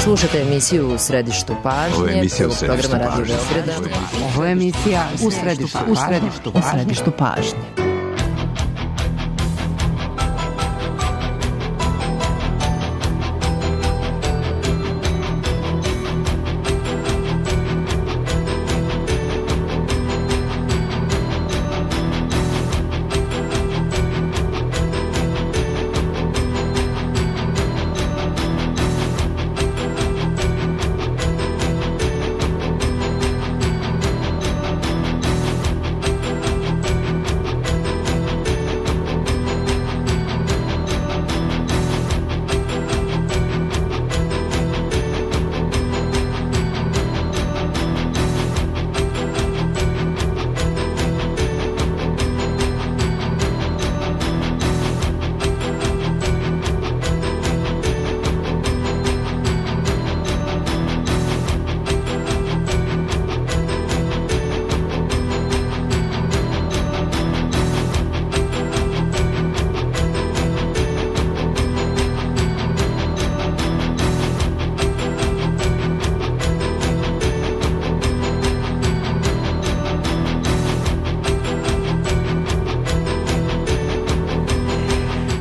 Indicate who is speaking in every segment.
Speaker 1: Slušate emisiju U središtu pažnje, prvog programa Radio Beograda.
Speaker 2: Ovo je emisija U središtu pažnje.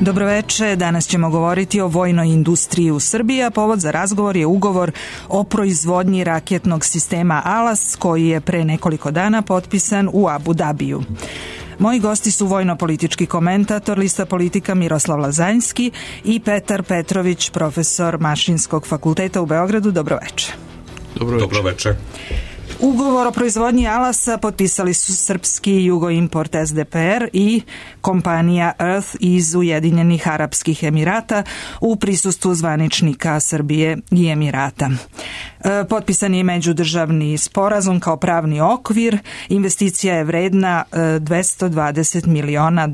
Speaker 3: Dobroveče, danas ćemo govoriti o vojnoj industriji u Srbiji, a povod za razgovor je ugovor o proizvodnji raketnog sistema ALAS koji je pre nekoliko dana potpisan u Abu Dabiju. Moji gosti su vojno-politički komentator lista politika Miroslav Lazanjski i Petar Petrović, profesor Mašinskog fakulteta u Beogradu. Dobroveče.
Speaker 4: Dobroveče.
Speaker 3: Ugovor o proizvodnji ALAS-a potpisali su srpski Jugoimport SDPR i kompanija Earth iz Ujedinjenih Arapskih Emirata u prisustvu zvaničnika Srbije i Emirata. Potpisan je međudržavni sporazum kao pravni okvir, investicija je vredna $220 miliona.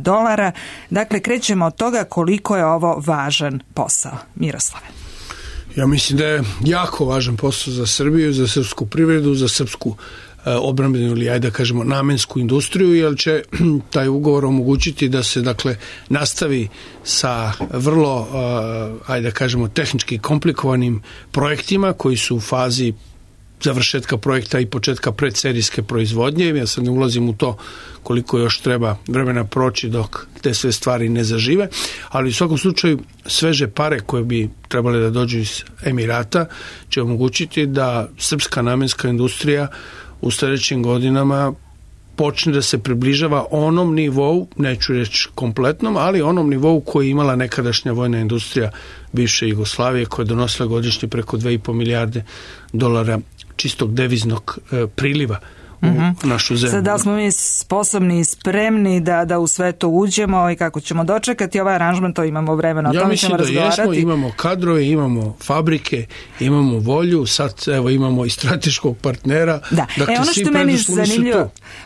Speaker 3: Dakle, krećemo od toga koliko je ovo važan posao. Miroslave.
Speaker 5: Ja mislim da je jako važan posao za Srbiju, za srpsku privredu, za srpsku odbrambenu ili ajde da kažemo namensku industriju, jer će taj ugovor omogućiti da se dakle nastavi sa vrlo ajde da kažemo tehnički komplikovanim projektima koji su u fazi završetka projekta i početka predserijske proizvodnje. Ja sad ne ulazim u to koliko još treba vremena proći dok te sve stvari ne zažive, ali u svakom slučaju sveže pare koje bi trebale da dođu iz Emirata će omogućiti da srpska namenska industrija u sljedećim godinama počne da se približava onom nivou, neću reći kompletnom, ali onom nivou koji je imala nekadašnja vojna industrija bivše Jugoslavije, koja je donosila godišnje preko $2,5 milijarde čistog deviznog priliva u našu zemlju.
Speaker 3: Sada smo mi sposobni i spremni da u sve to uđemo i kako ćemo dočekati ovaj aranžman, to imamo vremena, o tome ćemo razgovarati.
Speaker 5: Ja mislim da jesmo, imamo kadrove, imamo fabrike, imamo volju, sad evo imamo i strateškog partnera.
Speaker 3: Da.
Speaker 5: Dakle,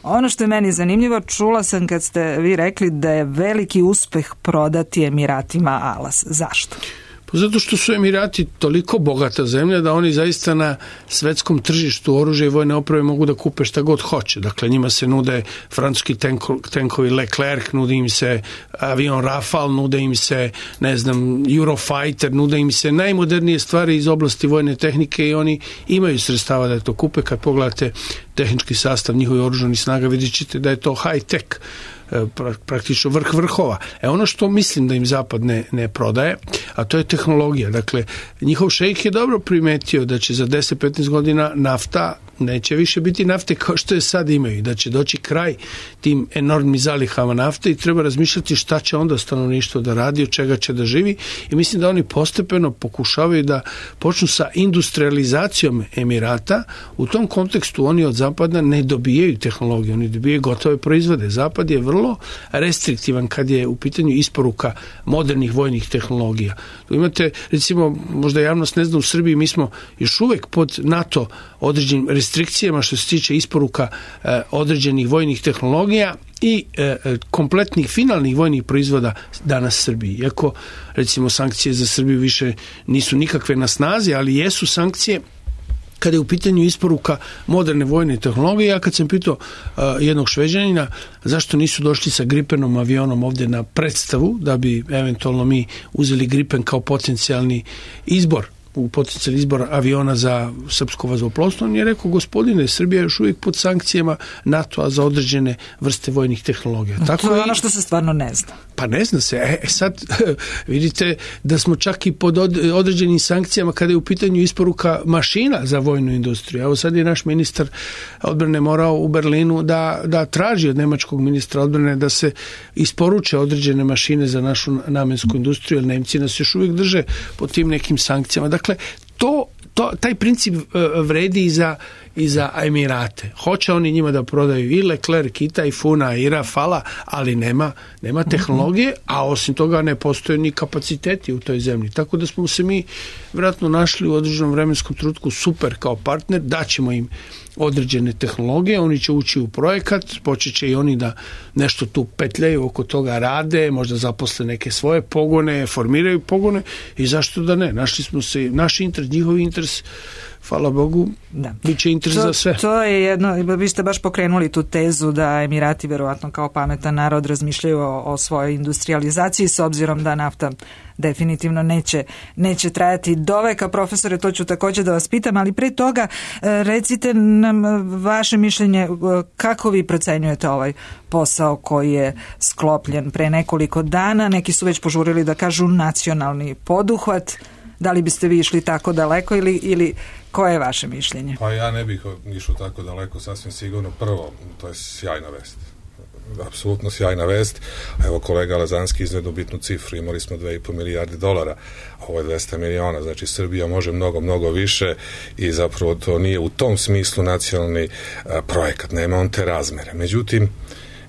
Speaker 3: ono što je meni zanimljivo, čula sam kad ste vi rekli da je veliki uspeh prodati Emiratima ALAS. Zašto?
Speaker 5: Zato što su Emirati toliko bogata zemlja da oni zaista na svetskom tržištu oružja i vojne opreme mogu da kupe šta god hoće. Dakle, njima se nude francuski tenkovi Leclerc, nude im se avion Rafale, nude im se, ne znam, Eurofighter, nude im se najmodernije stvari iz oblasti vojne tehnike i oni imaju sredstava da to kupe. Kad pogledate tehnički sastav njihovih oružanih snaga, vidjet ćete da je to high tech, praktično vrh vrhova. Ono što mislim da im Zapad ne prodaje, a to je tehnologija. Dakle, njihov šejk je dobro primetio da će za 10-15 godina nafta neće više biti nafte kao što je sad imaju, da će doći kraj tim enormnim zalihama nafte i treba razmišljati šta će onda stanovništvo da radi, od čega će da živi, i mislim da oni postepeno pokušavaju da počnu sa industrializacijom Emirata. U tom kontekstu oni od Zapada ne dobijaju tehnologiju, oni dobijaju gotove proizvode. Zapad je vrlo restriktivan kad je u pitanju isporuka modernih vojnih tehnologija. Tu imate, recimo, možda javnost ne zna, u Srbiji mi smo još uvek pod NATO određenim restrikcijama što se tiče isporuka određenih vojnih tehnologija i kompletnih finalnih vojnih proizvoda danas Srbiji. Iako, recimo, sankcije za Srbiju više nisu nikakve na snazi, ali jesu sankcije kada je u pitanju isporuka moderne vojne tehnologije. Ja kad sam pitao jednog Šveđanina zašto nisu došli sa Gripenom avionom ovdje na predstavu, da bi eventualno mi uzeli Gripen kao potencijalni izbor potencijalni izbor aviona za srpsko vazduhoplovstvo, on je rekao, gospodine, Srbija je još uvijek pod sankcijama NATO-a za određene vrste vojnih tehnologija.
Speaker 3: Tako to je ono što se stvarno ne zna.
Speaker 5: Pa ne zna se. Sad vidite da smo čak i pod određenim sankcijama kada je u pitanju isporuka mašina za vojnu industriju. Evo sad je naš ministar odbrane morao u Berlinu da traži od nemačkog ministra odbrane da se isporuče određene mašine za našu namensku industriju, jer Nemci nas još uvijek drže pod tim nekim sankcijama. Dakle, taj princip vredi i za Emirate. Hoće oni njima da prodaju i Leclerc, i Tajfuna, i Rafala, ali nema tehnologije, a osim toga ne postoje ni kapaciteti u toj zemlji. Tako da smo se mi vjerojatno našli u određenom vremenskom trenutku super kao partner, daćemo im određene tehnologije, oni će ući u projekat, počet će i oni da nešto tu petljaju, oko toga rade, možda zaposle neke svoje pogone, formiraju pogone i zašto da ne? Našli smo se, naš interes, njihovi interes, hvala Bogu, bit će interes za sve.
Speaker 3: To je jedno, vi ste baš pokrenuli tu tezu da Emirati verovatno kao pametan narod razmišljaju o svojoj industrializaciji, s obzirom da nafta definitivno neće trajati do veka. Profesore, to ću također da vas pitam, ali pre toga recite nam vaše mišljenje, kako vi procenjujete ovaj posao koji je sklopljen pre nekoliko dana, neki su već požurili da kažu nacionalni poduhvat, da li biste vi išli tako daleko ili koje je vaše mišljenje?
Speaker 4: Pa ja ne bih išao tako daleko, sasvim sigurno. Prvo, to je sjajna vest. Apsolutno sjajna vest. Evo, kolega Lazanski iznedu bitnu cifru. Imali smo 2,5 milijarde dolara. Ovo je 200 miliona. Znači, Srbija može mnogo više i zapravo to nije u tom smislu nacionalni projekat. Nema on te razmere. Međutim,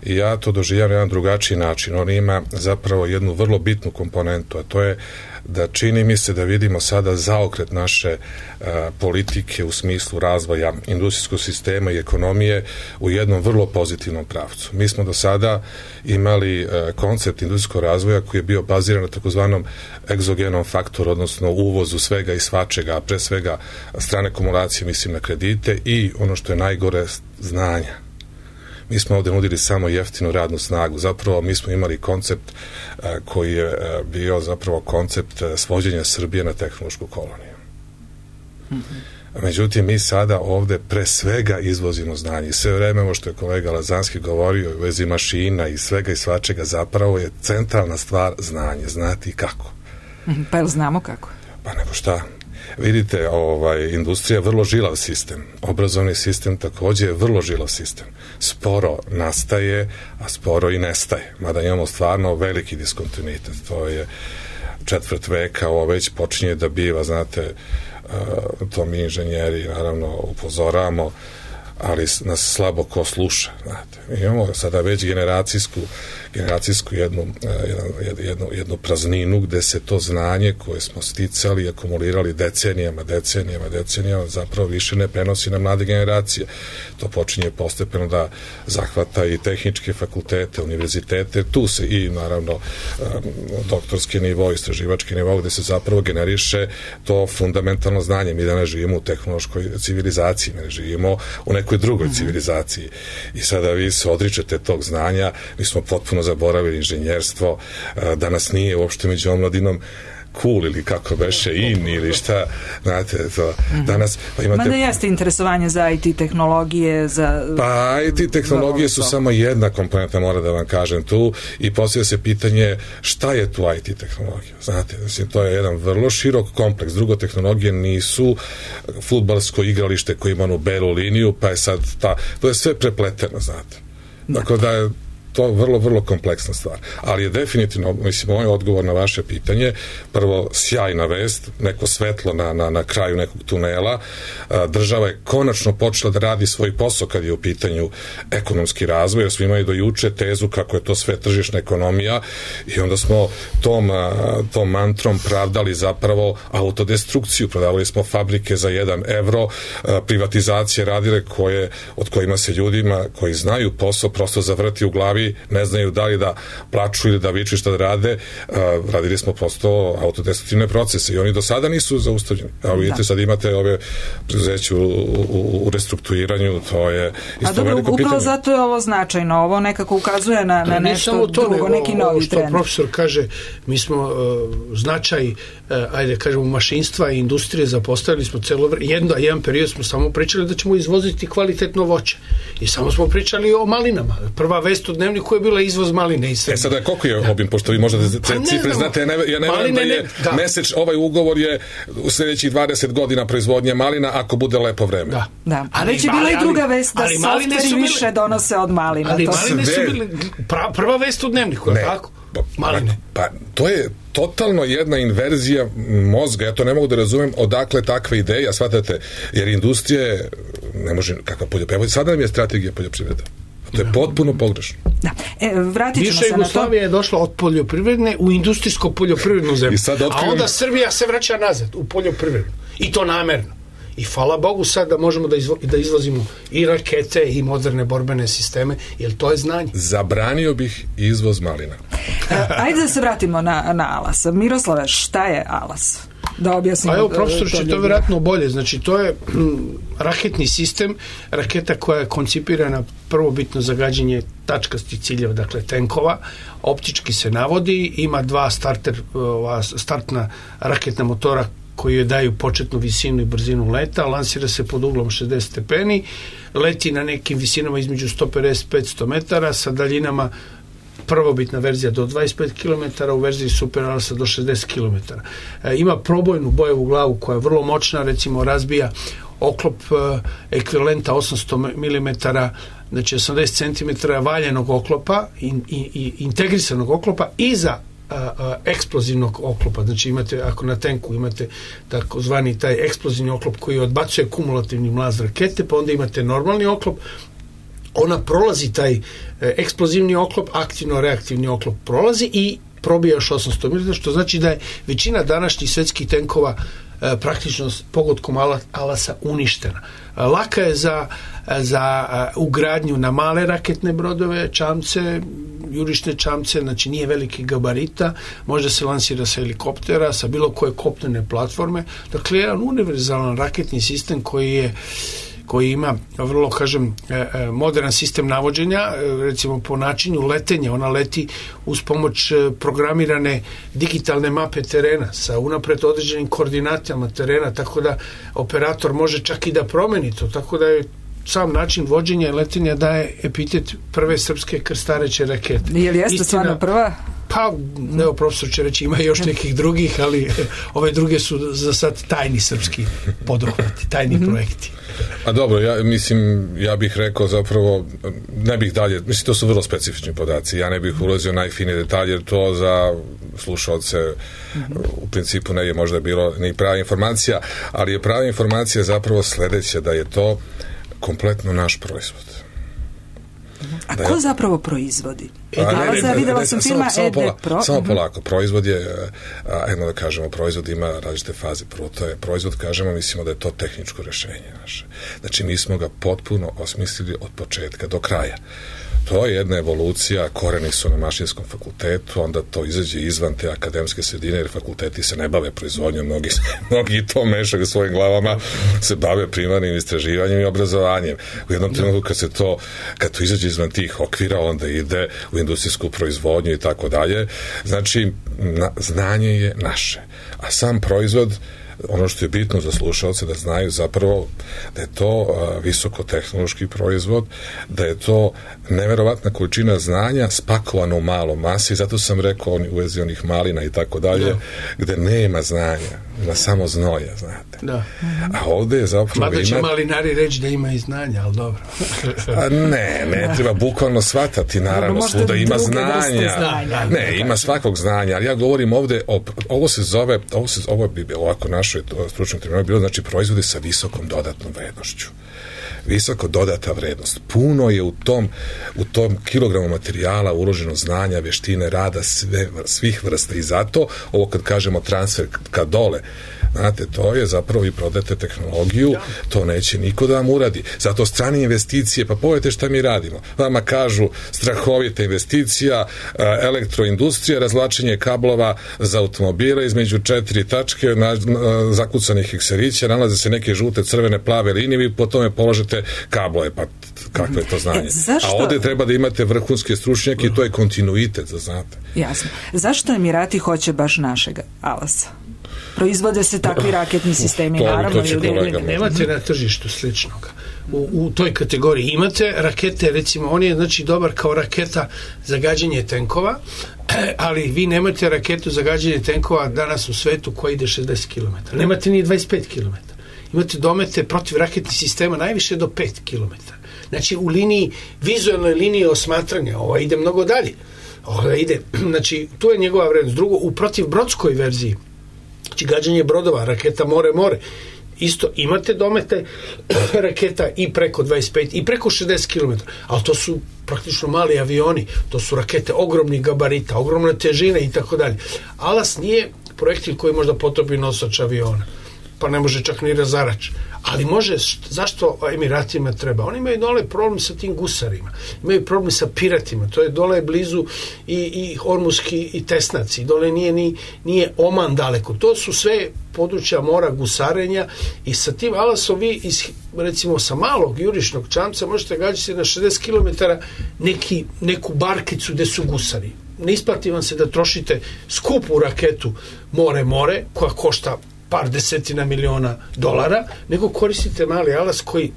Speaker 4: ja to doživljam na jedan drugačiji način. On ima zapravo jednu vrlo bitnu komponentu, a to je da čini mi se da vidimo sada zaokret naše politike u smislu razvoja industrijskog sistema i ekonomije u jednom vrlo pozitivnom pravcu. Mi smo do sada imali koncept industrijskog razvoja koji je bio baziran na takozvanom egzogenom faktoru, odnosno uvozu svega i svačega, a pre svega strane akumulacije, mislim na kredite i ono što je najgore, znanja. Mi smo ovdje nudili samo jeftinu radnu snagu. Zapravo mi smo imali koncept koji je bio zapravo koncept svođenja Srbije na tehnološku koloniju. Međutim, mi sada ovdje pre svega izvozimo znanje. I sve vreme ovo što je kolega Lazanski govorio u vezi mašina i svega i svačega, zapravo je centralna stvar znanje. Znati kako.
Speaker 3: Pa jel znamo kako?
Speaker 4: Pa nego šta? Vidite, industrija je vrlo žilav sistem. Obrazovni sistem također je vrlo žilav sistem. Sporo nastaje, a sporo i nestaje. Mada imamo stvarno veliki diskontinuitet. To je četvrt veka, ovo već počinje da biva, znate, to mi inženjeri naravno upozoravamo, ali nas slabo ko sluša. Znate. Imamo sada već generacijsku jednu prazninu gde se to znanje koje smo sticali i akumulirali decenijama zapravo više ne prenosi na mlade generacije. To počinje postepeno da zahvata i tehničke fakultete, univerzitete, tu se i naravno doktorski nivo, istraživački nivo gde se zapravo generiše to fundamentalno znanje. Mi danas živimo u tehnološkoj civilizaciji, ne živimo u nekoj drugoj civilizaciji. I sada vi se odričete tog znanja, mi smo potpuno zaboravili inženjerstvo, danas nije uopšte među omladinom cool ili kako beše in ili šta, znate, to danas pa imate...
Speaker 3: Mada jeste interesovanje za IT tehnologije,
Speaker 4: Pa IT tehnologije su samo jedna komponenta, mora da vam kažem tu, i postavlja se pitanje šta je tu IT tehnologija, znate, mislim, to je jedan vrlo širok kompleks. Drugo, tehnologije nisu fudbalsko igralište koje ima onu belu liniju, pa je sad to je sve prepleteno, znate. Tako da je to vrlo kompleksna stvar. Ali je definitivno, mislim, moj odgovor na vaše pitanje, prvo, sjajna vest, neko svetlo na kraju nekog tunela. Država je konačno počela da radi svoj posao kad je u pitanju ekonomski razvoj, jer smo imali do juče tezu kako je to sve tržišna ekonomija i onda smo tom mantrom pravdali zapravo autodestrukciju, prodavali smo fabrike za 1 evro, privatizacije radile od kojima se ljudima koji znaju posao prosto zavrti u glavi timovi ne znaju da li da plaču ili da viču šta da rade, radili smo prosto autodestruktivne procese i oni do sada nisu zaustavljeni. A vidite, sad imate ove preduzeće u restrukturiranju, to je isto veliko pitanje.
Speaker 3: Upravo zato je ovo značajno, ovo nekako ukazuje na nešto drugo, neki novi trend.
Speaker 5: Profesor kaže, mi smo značaj, ajde kažemo, mašinstva i industrije zapostavili smo jedan period smo samo pričali da ćemo izvoziti kvalitetno voće. I samo smo pričali o malinama. Prva vest u Dnevniku je bila izvoz maline iz Srbije.
Speaker 4: Sada koliko je obim, pošto vi možda te cifre znate, ja ne verujem da je ovaj ugovor je u sljedećih 20 godina proizvodnje malina ako bude lepo vreme.
Speaker 3: Da. A već je bila i druga vest da softveri više donose od malina.
Speaker 5: Ali maline su bile prva vest u Dnevniku, je tako? Maline.
Speaker 4: Pa to je totalno jedna inverzija mozga, ja to ne mogu da razumem odakle takva ideja, shvatate, jer industrija ne može, kakva poljoprivreda, sada nam je strategija poljoprivreda. To je potpuno pogrešno.
Speaker 3: Da. Vratit ćemo se na to.
Speaker 5: Jugoslavija je došla od poljoprivredne u industrijsko-poljoprivrednu zemlju. A onda Srbija se vraća nazad u poljoprivredu. I to namerno. I hvala Bogu sad da možemo da izvozimo i rakete i moderne borbene sisteme, jer to je znanje.
Speaker 4: Zabranio bih izvoz malina.
Speaker 3: Ajde da se vratimo na Alas. Miroslave, šta je Alas? Da objasnimo.
Speaker 5: Pa evo, profesor će to vjerojatno bolje. Znači, to je raketni sistem, raketa koja je koncipirana prvobitno za gađanje tačkastih ciljeva, dakle tenkova, optički se navodi, ima dva startna raketna motora koji joj daju početnu visinu i brzinu leta, lansira se pod uglom 60 stepeni, leti na nekim visinama između 150-500 metara sa daljinama prvobitna verzija do 25 km, u verziji Super Alasa do 60 km. Ima probojnu bojevu glavu koja je vrlo moćna, recimo razbija oklop ekvivalenta 800 mm, znači 80 cm valjenog oklopa i integrisanog oklopa iza eksplozivnog oklopa. Znači imate, ako na tenku imate takozvani taj eksplozivni oklop koji odbacuje kumulativni mlaz rakete, pa onda imate normalni oklop, ona prolazi taj eksplozivni oklop, aktivno-reaktivni oklop prolazi i probija još 800 mm, što znači da je većina današnjih svetskih tenkova praktično pogodkom Alasa uništena. Laka je za ugradnju na male raketne brodove, čamce, jurišne čamce, znači nije veliki gabarita, može se lansira sa helikoptera, sa bilo koje kopnene platforme. Dakle, jedan univerzalan raketni sistem koji ima vrlo, kažem, modern sistem navođenja, recimo po načinu letenja, ona leti uz pomoć programirane digitalne mape terena sa unapred određenim koordinatama terena, tako da operator može čak i da promeni to, tako da je sam način vođenja i letenja daje epitet prve srpske krstareće rakete.
Speaker 3: Je li jeste stvarno prva?
Speaker 5: Pa, evo, profesor će reći, ima još nekih drugih, ali ove druge su za sad tajni srpski poduhvati, tajni projekti.
Speaker 4: A dobro, ja bih rekao zapravo, ne bih dalje, mislim, to su vrlo specifični podaci, ja ne bih ulazio najfinije detalje, jer to za slušalce u principu ne je možda bilo ni prava informacija, ali je prava informacija zapravo sledeća, da je to kompletno naš proizvod.
Speaker 3: A ko zapravo proizvodi?
Speaker 4: Videla sam filma samo polako. Proizvod je, jedno da kažemo, proizvod ima različite faze. Prvo to je proizvod, kažemo, mislimo da je to tehničko rešenje naše. Znači, mi smo ga potpuno osmislili od početka do kraja. To je jedna evolucija, koreni su na mašinskom fakultetu, onda to izađe izvan te akademske sredine, jer fakulteti se ne bave proizvodnjom, mnogi to mešaju svojim glavama, se bave primarnim istraživanjem i obrazovanjem. U jednom trenutku kad to izađe izvan tih okvira, onda ide u industrijsku proizvodnju i tako dalje. Znači, znanje je naše. A sam proizvod, ono što je bitno za slušalce da znaju zapravo da je to visokotehnološki proizvod, da je to neverovatna količina znanja spakovana u malom masi, zato sam rekao u vezi onih malina i tako dalje, gde nema znanja, ima samo znoja, znate.
Speaker 5: Da.
Speaker 4: A ovde je zapravo...
Speaker 5: Mada će malinari reći da ima i znanja, ali dobro.
Speaker 4: Ne treba bukvalno shvatati, naravno, svuda ima znanja. Ne, ima svakog znanja, ali ja govorim ovde, ovo bi bilo ovako našoj stručnoj terminologiji bilo, znači proizvode sa visokom dodatnom vrednošću. Visoko dodata vrednost. Puno je u tom kilogramu materijala uloženo znanja, veštine, rada svih vrsta i zato ovo kad kažemo transfer ka dole, Znate, to je zapravo i prodate tehnologiju, to neće niko da vam uradi. Zato strane investicije, pa pogledajte šta mi radimo. Vama kažu strahovita investicija, elektroindustrija, razvlačenje kablova za automobile između 4 tačke zakucanih ekserića, nalaze se neke žute, crvene, plave linije, vi po tome položite kablove, pa kakvo je to znanje? A ovde treba da imate vrhunske stručnjake i to je kontinuitet, da znate.
Speaker 3: Jasno. Zašto Emirati hoće baš našega Alasa? Proizvode se takvi raketni sistemi, naravno.
Speaker 5: Nemate na tržištu sličnog. U toj kategoriji imate rakete, recimo, on je znači dobar kao raketa za gađanje tenkova, ali vi nemate raketu za gađanje tenkova danas u svetu koja ide 60 km. Nemate ni 25 km. Imate domete protiv raketnih sistema najviše do 5 km. Znači, u liniji, vizualnoj liniji osmatranja, ova ide mnogo dalje. Ova ide, znači, tu je njegova vrednost. Drugo, u protivbrodskoj verziji, znači gađanje brodova, raketa more, isto imate domete raketa i preko 25 i preko 60 km, ali to su praktično mali avioni, to su rakete ogromnih gabarita, ogromne težine i tako dalje. Alas nije projektil koji možda potopi nosač aviona, pa ne može čak ni razarač. Ali može, zašto Emiratima treba? Oni imaju dole problem sa tim gusarima, imaju problem sa piratima, to je dole blizu i Hormuzski i Tesnaci, dole nije Oman daleko. To su sve područja mora gusarenja i sa tim Alasom vi recimo sa malog jurišnog čamca možete gađati na 60 km neku barkicu gde su gusari. Ne isplati vam se da trošite skupu raketu more koja košta par desetina miliona dolara, nego koristite mali Alas koji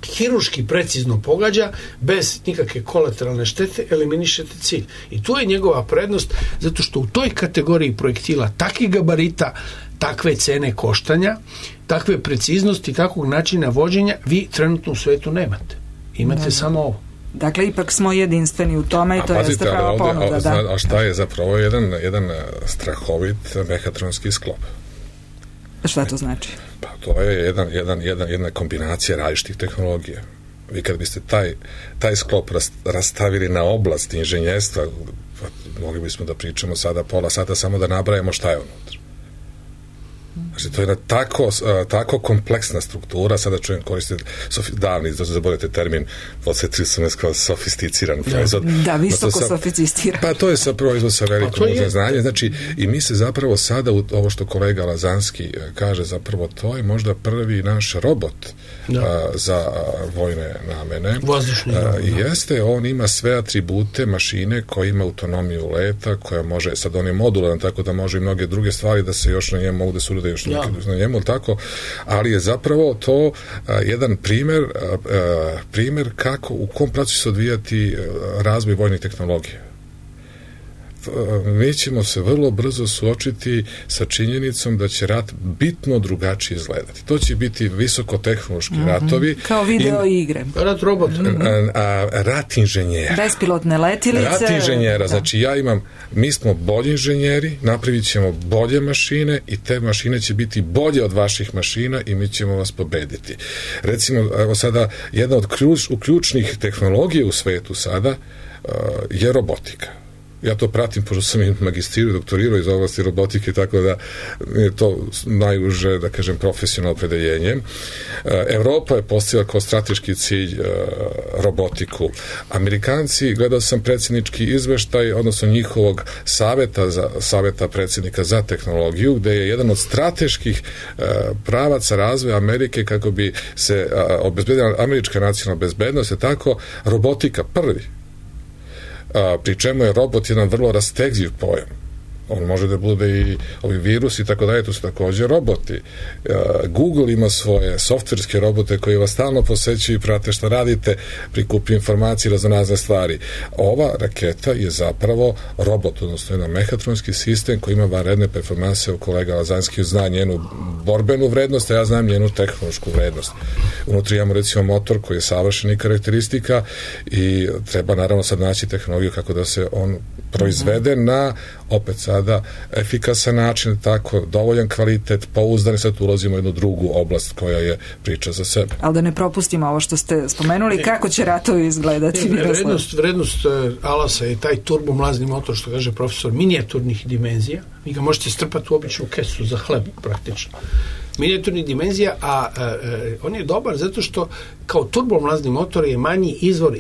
Speaker 5: hirurški precizno pogađa, bez nikakve kolateralne štete, eliminišete cilj. I tu je njegova prednost, zato što u toj kategoriji projektila takvih gabarita, takve cene koštanja, takve preciznosti, takvog načina vođenja, vi trenutno u svetu nemate. Imate samo ovo.
Speaker 3: Dakle, ipak smo jedinstveni u tome i to jeste prava ponuda.
Speaker 4: A šta je zapravo jedan strahovit mehatronski sklop?
Speaker 3: Šta to znači?
Speaker 4: Pa to je jedna kombinacija različitih tehnologija. Vi kad biste taj sklop rastavili na oblast inženjerstva, mogli bismo da pričamo sada pola sata samo da nabrajamo šta je unutra. Znači, to je tako kompleksna struktura, sada čujem koristiti davni, da zaboravite termin, podsjetili su me kao sofisticiran proizvod.
Speaker 3: Da, visoko sofisticiran.
Speaker 4: Pa to je sa proizvod sa velikom znanjem. Znači, i mi se zapravo sada, ovo što kolega Lazanski kaže, zapravo to je možda prvi naš robot za vojne namene.
Speaker 5: Vazdušni
Speaker 4: jeste, on ima sve atribute mašine koja ima autonomiju leta, koja može, sad on je modularan, tako da može i mnoge druge stvari da se još na njemu mogu da se urade još na njemu, tako, ali je zapravo to jedan primer kako, u kom pravcu će se odvijati razvoj vojnih tehnologija. Mi ćemo se vrlo brzo suočiti sa činjenicom da će rat bitno drugačije izgledati. To će biti visokotehnološki ratovi.
Speaker 3: Kao video igre.
Speaker 5: Rat robot.
Speaker 4: Rat inženjera.
Speaker 3: Bespilotne letilice.
Speaker 4: Rat inženjera. Znači mi smo bolji inženjeri, napravit ćemo bolje mašine i te mašine će biti bolje od vaših mašina i mi ćemo vas pobediti. Recimo, evo sada, jedna od ključnih tehnologija u svetu sada je robotika. Ja to pratim, pošto sam i magistrirao, doktorirao iz oblasti robotike, tako da je to najuže, da kažem, profesionalno opredeljenje. Evropa je postavila kao strateški cilj robotiku. Amerikanci, gledao sam predsjednički izveštaj, odnosno njihovog saveta predsjednika za tehnologiju, gde je jedan od strateških pravaca razvoja Amerike kako bi se obezbedila američka nacionalna bezbednost, je tako robotika prvi. Pri čemu je robot jedan vrlo rastegljiv pojam. On može da bude i ovi virusi i tako dalje, to su također roboti. Google ima svoje softverske robote koji vas stalno posećuju i prate šta radite, prikupi informacije, raznorazne stvari. Ova raketa je zapravo robot, odnosno jedan mehatronski sistem koji ima vanredne performanse. Kolega Lazanski zna njenu borbenu vrednost, a ja znam njenu tehnološku vrednost. Unutri imamo recimo motor koji je savršenih karakteristika i treba naravno sad naći tehnologiju kako da se on proizvede na opet sad sada efikasan način, tako, dovoljan kvalitet, pouzdan, sad ulazimo u jednu drugu oblast koja je priča za sebe.
Speaker 3: Ali da ne propustimo ovo što ste spomenuli, kako će ratovi izgledati?
Speaker 5: Vrednost Alasa je taj turbomlazni motor, što kaže profesor, minijaturnih dimenzija. Vi ga možete strpati u običnu kesu za hleb, praktično. Minijaturnih dimenzija, a on je dobar zato što kao turbomlazni motor je manji izvor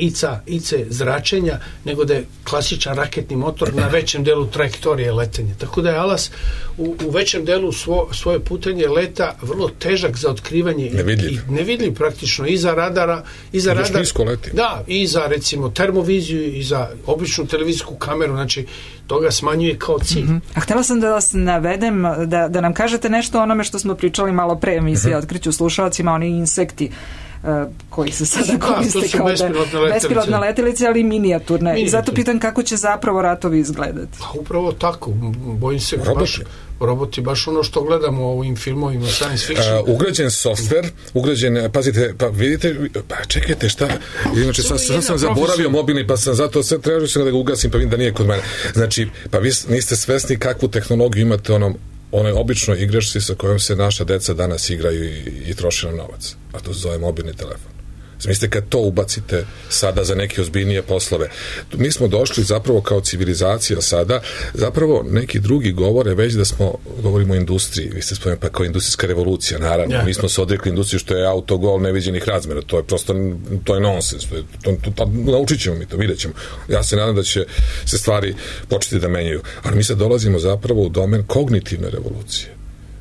Speaker 5: IC zračenja nego da je klasičan raketni motor na većem delu trajektorije letenja. Tako da je Alas u većem delu svoje putenje leta vrlo težak za otkrivanje. Nevidljiv praktično i za radara, da, i za recimo termoviziju i za običnu televizijsku kameru, znači to ga smanjuje kao cilj.
Speaker 3: A htjela sam da vas navedem, da nam kažete nešto o onome što smo pričali malo pre emisije, otkriću slušalcima, oni insekti koji se sada koriste kao bespilotne letelice, ali minijaturne. I zato pitam kako će zapravo ratovi izgledati.
Speaker 5: Pa upravo tako, bojim se roboti, baš ono što gledamo u ovim filmovima science fiction.
Speaker 4: Ugrađen softver, pazite, pa vidite, čekajte šta, inače sam zaboravio mobilni, pa sam zato sve trebao da ga ugasim, pa vidim da nije kod mene. Znači, pa vi niste svesni kakvu tehnologiju imate onoj običnoj igračci sa kojom se naša deca danas igraju i troši nam novac. A to se zove mobilni telefon. Mislite, kad to ubacite sada za neke ozbiljnije poslove. Mi smo došli zapravo kao civilizacija sada, zapravo neki drugi govore već da govorimo o industriji. Vi ste spomenuli pa kao industrijska revolucija, naravno. Mi smo se odrekli industriju što je autogol neviđenih razmera. To je prosto, to je nonsens. Naučit ćemo mi to, vidjet ćemo. Ja se nadam da će se stvari početi da menjaju. Ali mi sad dolazimo zapravo u domen kognitivne revolucije,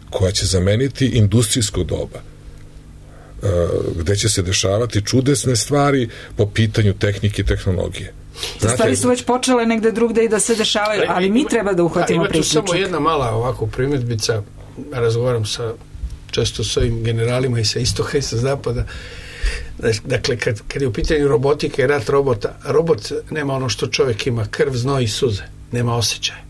Speaker 4: koja će zameniti industrijsko doba, gde će se dešavati čudesne stvari po pitanju tehnike i tehnologije.
Speaker 3: Stvari su već počele negde drugde i da se dešavaju, ali mi treba da uhvatimo priključak.
Speaker 5: Ima tu samo jedna mala ovako primjedbica, razgovaram često s ovim generalima i sa istoka i sa zapada. Dakle, kad je u pitanju robotika i rat robot nema ono što čovjek ima, krv, znoj i suze, nema osjećaja.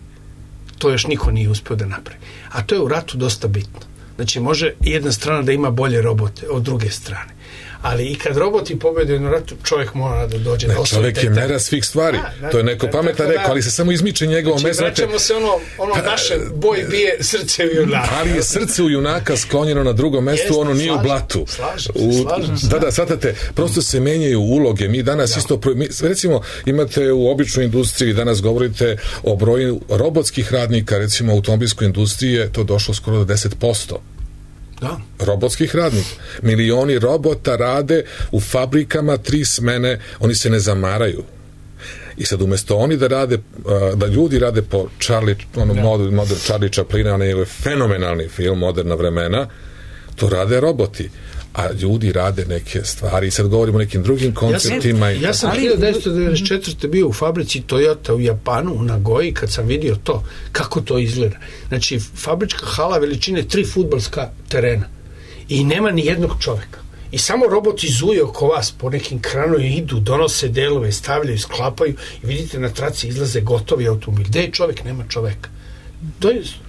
Speaker 5: To još niko nije uspio da napravi. A to je u ratu dosta bitno. Znači, može jedna strana da ima bolje robote od druge strane. Ali i kad roboti pobede na ratu, čovjek mora da dođe do osvoje.
Speaker 4: Čovjek je mera svih stvari. To je neko pametan rekao, ali se samo izmiče njegovom mestu.
Speaker 5: Znači, vraćamo se naše boj bije srce u junaka.
Speaker 4: Ali je srce u junaka sklonjeno na drugom mestu, ono nije u blatu.
Speaker 5: Slažem se.
Speaker 4: Da, shvatate, prosto se menjaju uloge. Mi danas isto, recimo, imate u običnoj industriji, danas govorite o broju robotskih radnika, recimo u automobilskoj industriji je to došlo skoro do 10%.
Speaker 5: Da.
Speaker 4: Robotskih radnika. Milioni robota rade u fabrikama 3 smene, oni se ne zamaraju. I sad umjesto oni da ljudi rade po model Charlie Chaplina, on je fenomenalni film, Moderna vremena, to rade roboti. A ljudi rade neke stvari. I sad govorimo o nekim drugim konceptima.
Speaker 5: Ja sam 1994. bio u fabrici Toyota u Japanu, u Nagoji, kad sam vidio to, kako to izgleda. Znači, fabrička hala veličine 3 fudbalska terena. I nema ni jednog čoveka. I samo roboti zuje oko vas po nekim kranovima, idu, donose delove, stavljaju, sklapaju i vidite na traci izlaze gotovi automobil. Gde je čovek? Nema čoveka.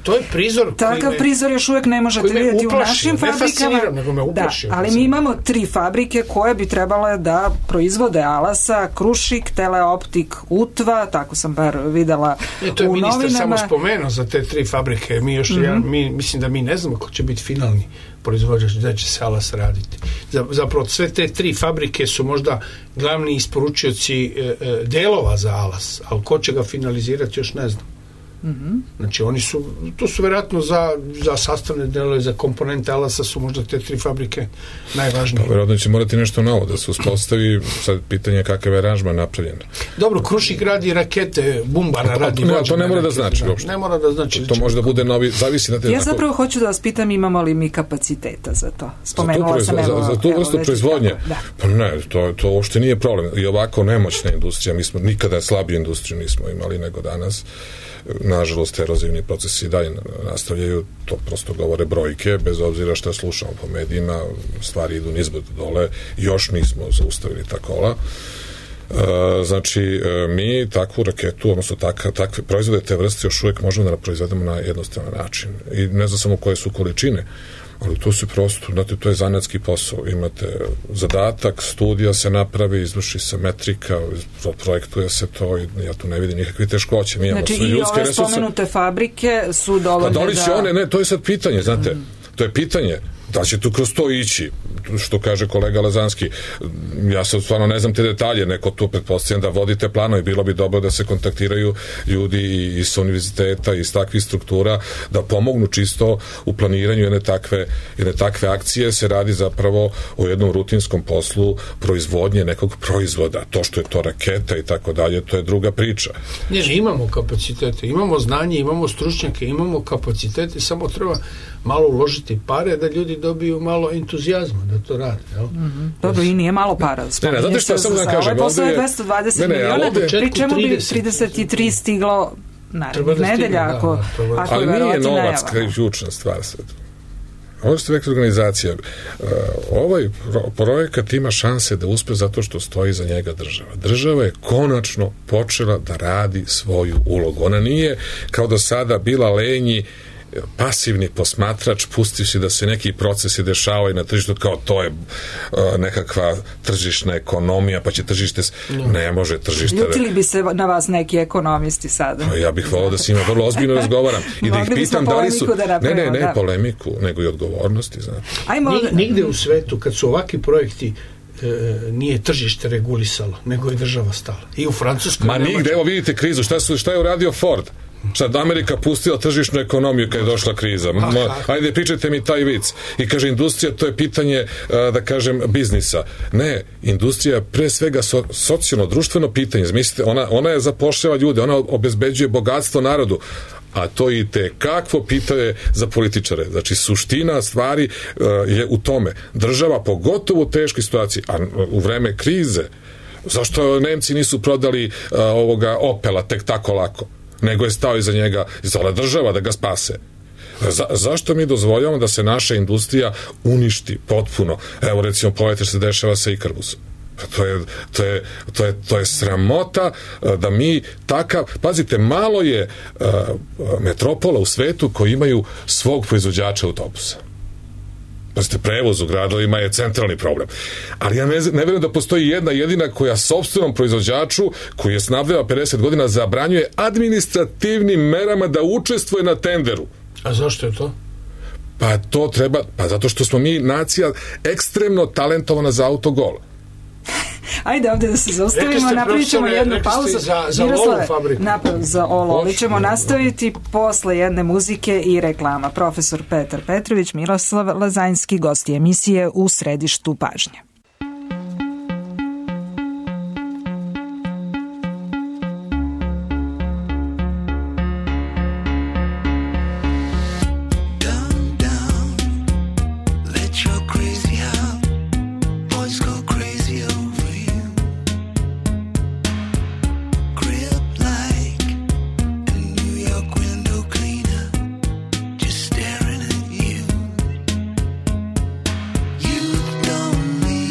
Speaker 5: To je prizor.
Speaker 3: Takav prizor još uvijek ne možete vidjeti u našim fabrikama.
Speaker 5: Nego me uplašio.
Speaker 3: Ali mi imamo 3 fabrike koje bi trebale da proizvode Alasa, Krušik, Teleoptik, Utva, tako sam bar videla u novinama.
Speaker 5: To je ministar samo spomenuo za te 3 fabrike. Mi mislim da mi ne znamo ko će biti finalni proizvođač, da će se Alas raditi. Zapravo sve te 3 fabrike su možda glavni isporučioci delova za Alas, ali ko će ga finalizirati još ne znam. Znači to su vjerojatno za sastavne delove, za komponente Alasa su možda te 3 fabrike najvažnije.
Speaker 4: Pa vjerojatno će morati nešto novo da se uspostavi, sad pitanje kakav je aranžman napravljen.
Speaker 5: Dobro, Krušik radi rakete, Bumbara radi vođene.
Speaker 4: To ne mora da znači uopšte.
Speaker 5: Ne mora da znači.
Speaker 4: To može da bude novi, zavisi na te.
Speaker 3: Ja zapravo hoću da vas pitam, imamo li mi kapaciteta za to? Spomenula sam
Speaker 4: za tu vrstu proizvodnje. Pa ne, to uopšte nije problem. I ovako nemoćna industrija, mi smo nikada slabiju industriju nismo imali nego danas. Nažalost, erozivni procesi i dalje nastavljaju, to prosto govore brojke, bez obzira što slušamo po medijima, stvari idu nizbrdo dole, još nismo zaustavili ta kola. Znači, mi takvu raketu, odnosno takve proizvode te vrste još uvijek možemo da proizvedemo na jednostavan način. I ne znam samo koje su količine, ali to se prosto, znate, to je zanatski posao. Imate zadatak, studija se napravi, izvrši se metrika, projektuje se to i ja tu ne vidim nikakve teškoće.
Speaker 3: Znači i ove spomenute fabrike su dovoljne da...
Speaker 4: Pa da li će one, ne, to je sad pitanje, znate, to je pitanje. Da će tu kroz to ići, što kaže kolega Lazanski, ja sad stvarno ne znam te detalje, neko tu pretpostavljam da vodite plano i bilo bi dobro da se kontaktiraju ljudi iz univerziteta, iz takvih struktura, da pomognu čisto u planiranju jedne takve akcije. Se radi zapravo o jednom rutinskom poslu proizvodnje nekog proizvoda. To što je to raketa i tako dalje, to je druga priča.
Speaker 5: Ne, imamo kapacitete, imamo znanje, imamo stručnjake, imamo kapacitete, samo treba malo uložiti pare da ljudi dobiju malo entuzijazma da to rade.
Speaker 3: Dobro, i nije malo para.
Speaker 4: Ne, znate što samo da kažem?
Speaker 3: Posle je 220 miliona, pri čemu bi 33 stiglo narednih nedelja, ako je
Speaker 4: ali nije novac ključna stvar sad. Ovo što je rekla organizacija, ovaj projekat ima šanse da uspe zato što stoji za njega država. Država je konačno počela da radi svoju ulogu. Ona nije kao do sada bila lenji pasivni posmatrač, pustivši da se neki procesi dešavaju na tržištu, kao to je nekakva tržišna ekonomija, pa će tržište... Ne može tržište...
Speaker 3: Ljutili bi se na vas neki ekonomisti sada.
Speaker 4: Ja bih volao da se ima vrlo ozbiljno razgovaram i da ih pitam da li su... Ne polemiku, nego i odgovornosti, znate.
Speaker 5: Nigde u svetu, kad su ovakvi projekti nije tržište regulisalo, nego je država stala. I u Francuskoj...
Speaker 4: Ma nigde, evo vidite krizu, šta je uradio Ford? Sad Amerika pustila tržišnu ekonomiju kad je došla kriza. Ajde, pričajte mi taj vic. I kaže, industrija, to je pitanje, da kažem, biznisa. Ne, industrija je pre svega socijalno, društveno pitanje. Zamislite, ona je zapošljava ljude, ona obezbeđuje bogatstvo narodu, a to i te kakvo pitanje za političare. Znači, suština stvari je u tome. Država, pogotovo u teškoj situaciji, a u vreme krize, zašto Nemci nisu prodali ovoga Opela tek tako lako? Nego je stao iza njega, izala država da ga spase. Zašto mi dozvoljavamo da se naša industrija uništi potpuno? Evo, recimo, pogledajte što se dešava sa Ikarbusom. To je sramota da mi takav... Pazite, malo je metropola u svetu koji imaju svog proizvođača autobusa. Pazite, prevoz u gradovima je centralni problem. Ali ja ne vjerujem da postoji jedna jedina koja sopstvenom proizvođaču, koji je snabdeva 50 godina, zabranjuje administrativnim merama da učestvuje na tenderu.
Speaker 5: A zašto je to?
Speaker 4: Pa to treba... Pa zato što smo mi nacija ekstremno talentovana za autogol.
Speaker 3: Ajde ovdje da se zaustavimo, napravit ćemo jednu pauzu.
Speaker 5: Za Olu fabriku.
Speaker 3: Za Olu. Ovi ćemo nastaviti posle jedne muzike i reklama. Profesor Petar Petrović, Miroslav Lazanjski, gosti emisije U središtu pažnje.
Speaker 6: You don't need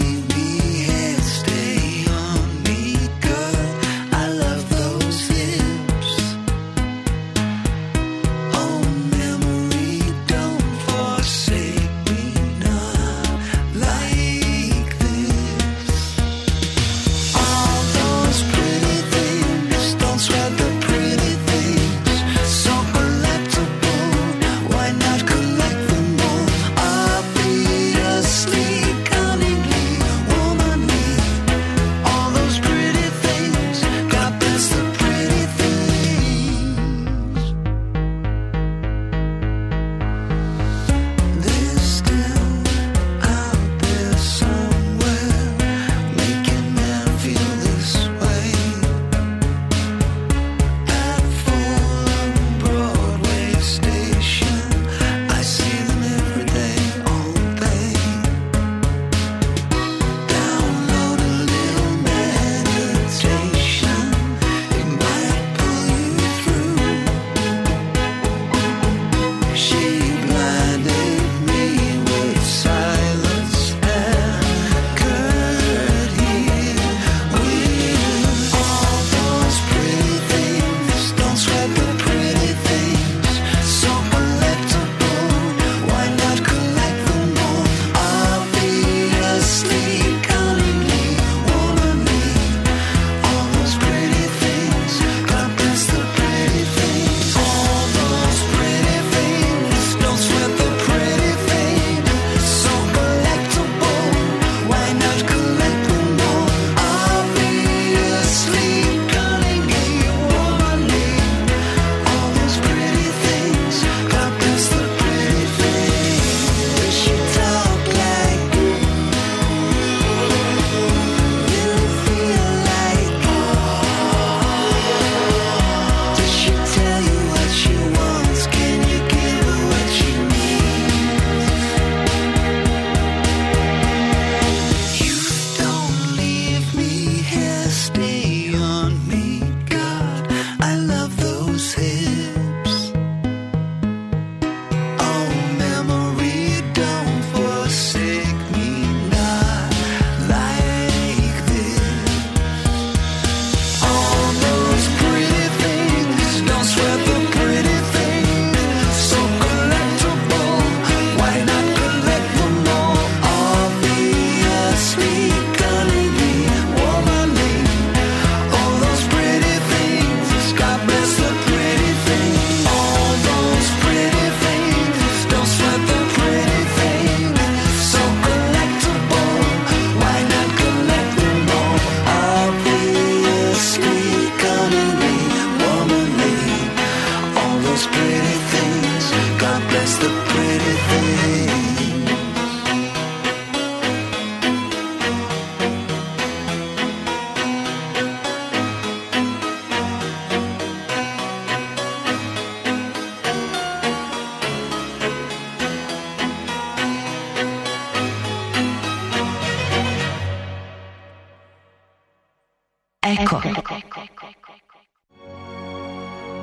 Speaker 2: Eko.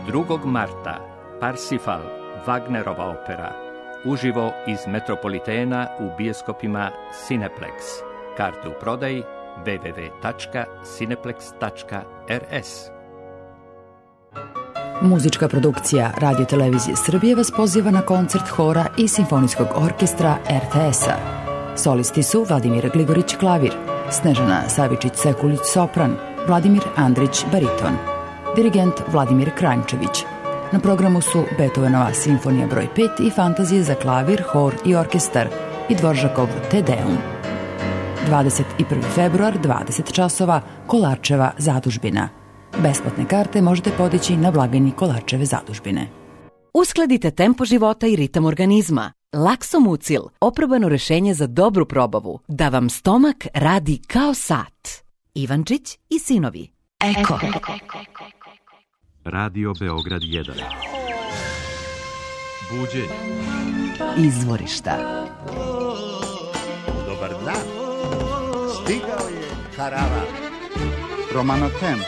Speaker 6: 2. marta Parsifal, Wagnerova opera, uživo iz Metropolitena u bioskopima Cineplex. Karte u prodaji www.cineplex.rs.
Speaker 2: Muzička produkcija Radio Televizije Srbije vas poziva na koncert hora i simfonijskog orkestra RTS-a. Solisti su Vladimir Gligorić klavir, Snežana Savičić-Sekulić sopran, Vladimir Andrić bariton, dirigent Vladimir Kranjčević. Na programu su Beethovenova simfonija broj 5 i fantazije za klavir, hor i orkestar i Dvoržakov Te Deum. 21. februar, 20 časova, Kolarčeva zadužbina. Besplatne karte možete podići na blagajni Kolarčeve zadužbine.
Speaker 7: Uskladite tempo života i ritam organizma. Laksomucil, oprobano rešenje za dobru probavu, da vam stomak radi kao sat. Ivančić i sinovi.
Speaker 2: Eko.
Speaker 8: Radio Beograd 1. Buđenje.
Speaker 2: Izvorišta.
Speaker 9: Dobar dan. Stigao je karavan. Romano Temp.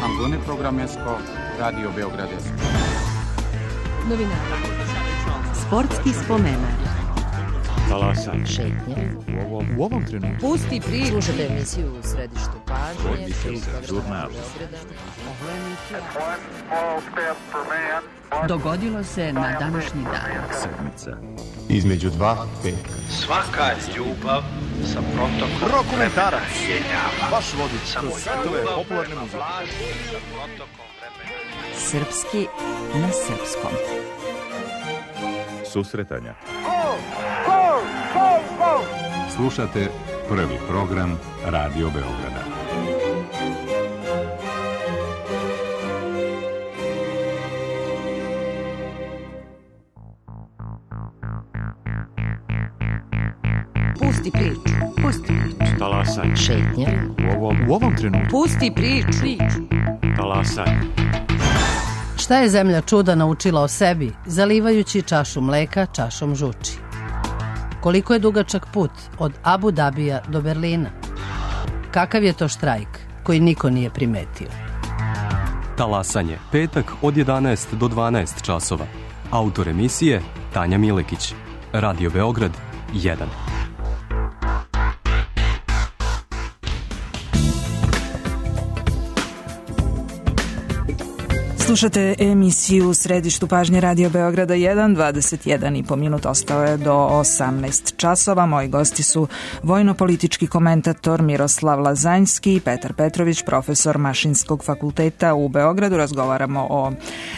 Speaker 9: Angone Programesko. Radio Beograd 1.
Speaker 7: Novinari. Sportski spomenak.
Speaker 8: Talasaj.
Speaker 1: Šetnje.
Speaker 8: U ovom trenutku.
Speaker 7: Pusti priču.
Speaker 1: Slušajte emisiju u središtu pažnje.
Speaker 8: Žurnal.
Speaker 2: Dogodilo se na današnji dan.
Speaker 8: Sedmica.
Speaker 9: Između dva peka.
Speaker 10: Svaka ljubav sa protokom
Speaker 9: Dokumentarac.
Speaker 10: vremena.
Speaker 9: Vaš vodič kroz svetove popularne muzike.
Speaker 2: Srpski na srpskom.
Speaker 8: Susretanja. Slušate prvi program Radio Beograda.
Speaker 7: Pusti priču. Pusti priču.
Speaker 8: Talasaj.
Speaker 1: Šetnje.
Speaker 8: U ovom trenutku.
Speaker 7: Pusti priču.
Speaker 8: Talasaj.
Speaker 11: Šta je zemlja čuda naučila o sebi, zalivajući čašu mleka čašom žuči? Koliko je dugačak put od Abu Dabija do Berlina? Kakav je to štrajk koji niko nije primetio?
Speaker 12: Talasanje, petak od 11 do 12 časova. Autor emisije Tanja Milekić. Radio Beograd 1.
Speaker 3: Slušate emisiju u središtu pažnje Radio Beograda 1, 21,5 minut ostao je do 18 časova. Moji gosti su vojno-politički komentator Miroslav Lazanjski i Petar Petrović, profesor Mašinskog fakulteta u Beogradu. Razgovaramo o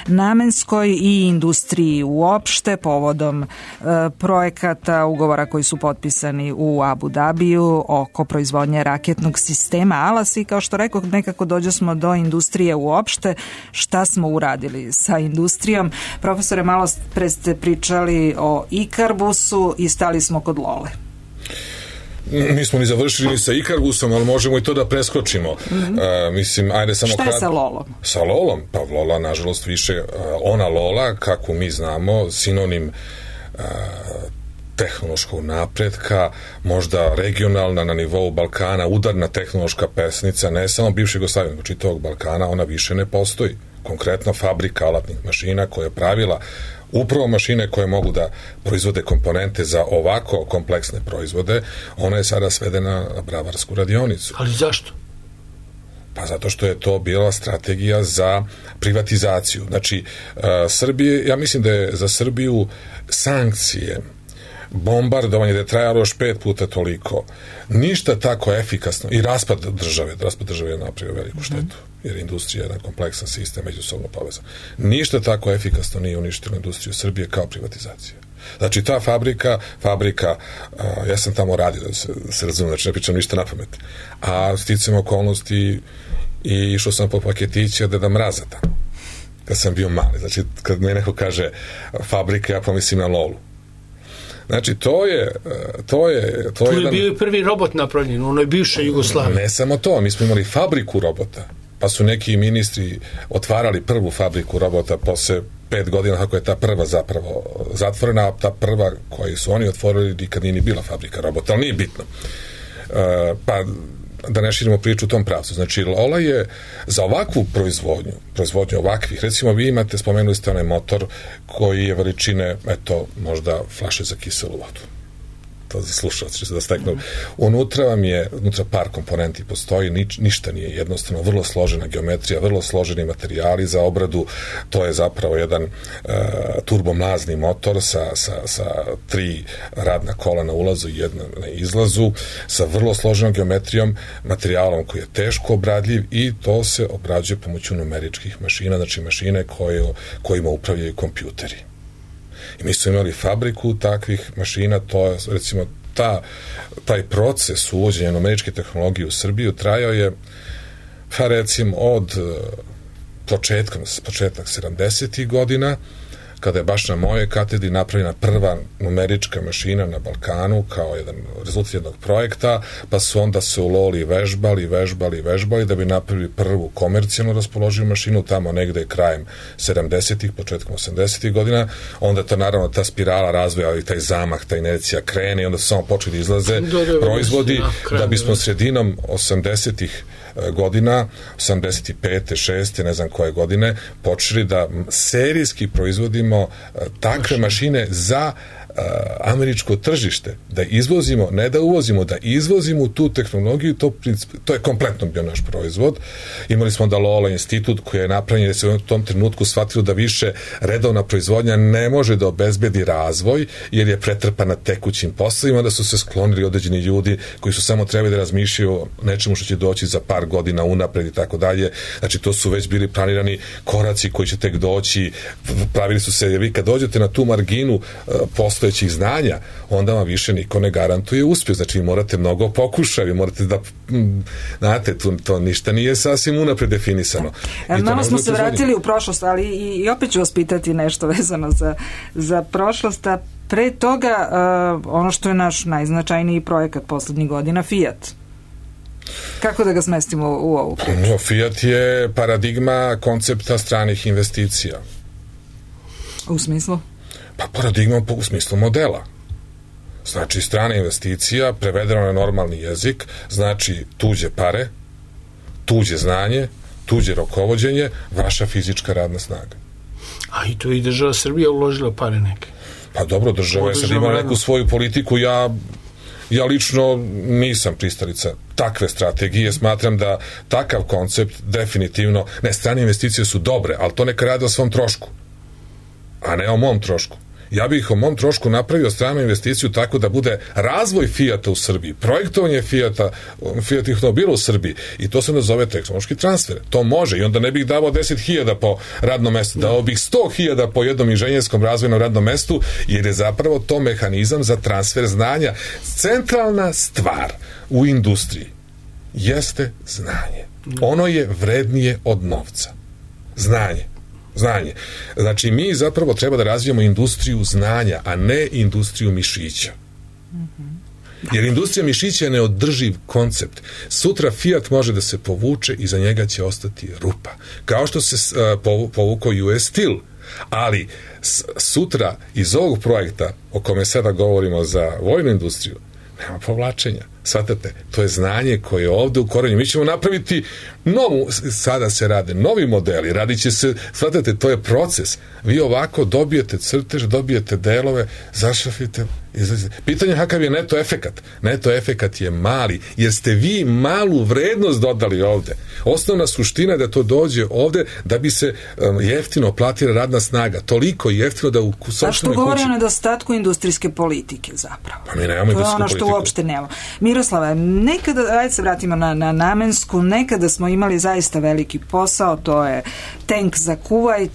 Speaker 3: namenskoj i industriji uopšte povodom projekata, ugovora koji su potpisani u Abu Dabiju oko proizvodnje raketnog sistema Alas i kao što rekao, nekako dođe smo do industrije uopšte. Šta smo uradili sa industrijom? Profesore, malo pre ste pričali o Ikarbusu i stali smo kod Lole.
Speaker 4: Nismo ni završili ni sa Ikarbusom, ali možemo i to da preskočimo. Mislim, ajde samo
Speaker 3: šta je sa Lolom?
Speaker 4: Sa Lolom? Pa Lola, nažalost, više ona Lola, kako mi znamo, sinonim tehnološkog napretka, možda regionalna na nivou Balkana, udarna tehnološka pesnica, ne samo bivšeg Jugoslavije, nego čitavog Balkana, ona više ne postoji. Konkretno fabrika alatnih mašina koja je pravila upravo mašine koje mogu da proizvode komponente za ovako kompleksne proizvode, ona je sada svedena na bravarsku radionicu.
Speaker 5: Ali zašto?
Speaker 4: Pa zato što je to bila strategija za privatizaciju. Znači, Srbije, ja mislim da je za Srbiju sankcije, bombardovanje da je trajalo još 5 puta toliko, ništa tako efikasno, i raspad države je napravio veliku štetu, jer industrija je jedan kompleksan sistem međusobno povezan. Ništa tako efikasno nije uništilo industriju Srbije kao privatizacija. Znači, ta fabrika, ja sam tamo radio, da se razumijem, znači ne pričam ništa na pamet, a sticam okolnosti i išao sam po paketići od Deda Mraza tamo, kad sam bio mali. Znači, kad mi neko kaže fabrika, ja pomislim na Lolu. Znači, to je
Speaker 5: bio prvi robot napravljen u onoj bivšoj Jugoslaviji.
Speaker 4: Ne samo to, mi smo imali fabriku robota, pa su neki ministri otvarali prvu fabriku robota posle 5 godina, kako je ta prva zapravo zatvorena, a ta prva koju su oni otvorili nikad nije ni bila fabrika robota, ali nije bitno. Pa da ne širimo priču u tom pravcu. Znači, Lola je za ovakvu proizvodnju ovakvih, recimo vi imate, spomenuli ste onaj motor koji je veličine, eto, možda flaše za kiselu vodu. To za slušalce, da steknu. Unutra par komponenti postoji, ništa nije jednostavno, vrlo složena geometrija, vrlo složeni materijali za obradu, to je zapravo jedan turbomlazni motor sa 3 radna kola na ulazu i jedna na izlazu, sa vrlo složenom geometrijom, materijalom koji je teško obradljiv i to se obrađuje pomoću numeričkih mašina, znači mašine kojima upravljaju kompjuteri. I mi smo imali fabriku takvih mašina, to je, recimo, taj proces uvođenja numeričke tehnologije u Srbiju trajao je, pa recimo, od početak 70. godina, kada je baš na mojoj katedri napravljena prva numerička mašina na Balkanu kao jedan rezultat jednog projekta, pa su onda se u Loli vežbali da bi napravili prvu komercijalno raspoloživu mašinu tamo negde krajem 70-ih, početkom 80-ih godina. Onda to naravno ta spirala razvoja i taj zamah, ta inercija krene i onda su samo počeli da izlaze proizvodi da bismo sredinom 80-ih godina, 85. 6. ne znam koje godine, počeli da serijski proizvodimo takve mašine za američko tržište, da izvozimo, ne da uvozimo, da izvozimo tu tehnologiju, to je kompletno bio naš proizvod. Imali smo onda Lola institut koji je napravljen, jer se u tom trenutku shvatilo da više redovna proizvodnja ne može da obezbedi razvoj, jer je pretrpana tekućim poslovima, da su se sklonili određeni ljudi koji su samo trebali da razmišljaju o nečemu što će doći za par godina unapred i tako dalje. Znači, to su već bili planirani koraci koji će tek doći, pravili su se, jer vi kad dođete na tu marginu postojećih znanja, onda vam više niko ne garantuje uspjeh. Znači, vi morate mnogo pokušati, vi morate da, znate, to ništa nije sasvim unapred definisano.
Speaker 3: Malo smo se vratili u prošlost, ali i opet ću vas pitati nešto vezano za prošlost, a pre toga ono što je naš najznačajniji projekat poslednjih godina, Fiat. Kako da ga smestimo u ovu priču?
Speaker 4: Fiat je paradigma koncepta stranih investicija.
Speaker 3: U smislu?
Speaker 4: Pa paradigma u smislu modela. Znači, strana investicija, prevedeno na normalni jezik, znači tuđe pare, tuđe znanje, tuđe rukovođenje, vaša fizička radna snaga.
Speaker 5: A i tu i država Srbija uložila pare neke.
Speaker 4: Pa dobro, država je sad imala neku svoju politiku, ja lično nisam pristalica takve strategije, smatram da takav koncept definitivno, ne, strane investicije su dobre, ali to neka rade o svom trošku, a ne o mom trošku. Ja bih o mom trošku napravio stranu investiciju tako da bude razvoj Fijata u Srbiji, projektovanje Fijatih automobila u Srbiji, i to se nazove tehnološki transfer. To može, i onda ne bih davao 10.000 po radnom mestu, dao bih 100.000 po jednom inženjerskom razvojnom radnom mestu, jer je zapravo to mehanizam za transfer znanja. Centralna stvar u industriji jeste znanje. Ono je vrednije od novca. Znanje. Znači, mi zapravo treba da razvijemo industriju znanja, a ne industriju mišića. Jer industrija mišića je neodrživ koncept. Sutra Fiat može da se povuče i za njega će ostati rupa. Kao što se povukao US Steel. Ali sutra iz ovog projekta o kome sada govorimo za vojnu industriju, nema povlačenja. Svatate, to je znanje koje je ovde u korenju. Mi ćemo napraviti sada se rade novi modeli, radit će se, svatate, to je proces. Vi ovako dobijete crtež, dobijete delove, zašrafite, izlazite. Pitanje kakav je neto efekat. Neto efekat je mali, jer ste vi malu vrednost dodali ovde. Osnovna suština je da to dođe ovde da bi se jeftino platila radna snaga. Toliko jeftino da u sopstvenoj kući... A što govori o
Speaker 3: nedostatku industrijske politike zapravo?
Speaker 4: Pa mi nemamo industrijsku politiku.
Speaker 3: To je ono što uopšte nemamo. Miroslava, nekada, ajde se vratimo na namensku, nekada smo imali zaista veliki posao, to je tank za Kuvajt,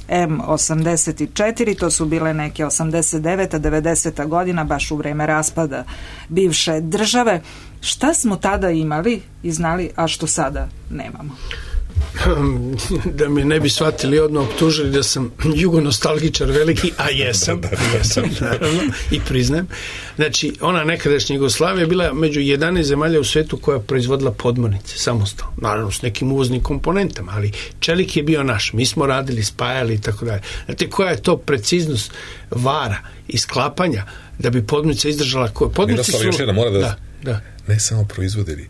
Speaker 3: M84, to su bile neke 89. 90. godina, baš u vreme raspada bivše države. Šta smo tada imali i znali, a što sada nemamo?
Speaker 5: Da me ne bi shvatili, odmah optužili da sam jugonostalgičar veliki, a jesam, naravno, i priznajem. Znači, ona nekadašnja Jugoslavija je bila među 11 zemalja u svetu koja je proizvodila podmornice, samostalno, naravno s nekim uvoznim komponentama, ali čelik je bio naš, mi smo radili, spajali i tako dalje. Znate, koja je to preciznost vara i sklapanja da bi podmornica izdržala koje?
Speaker 4: Miroslav, još jedan mora da... Ne samo proizvodili,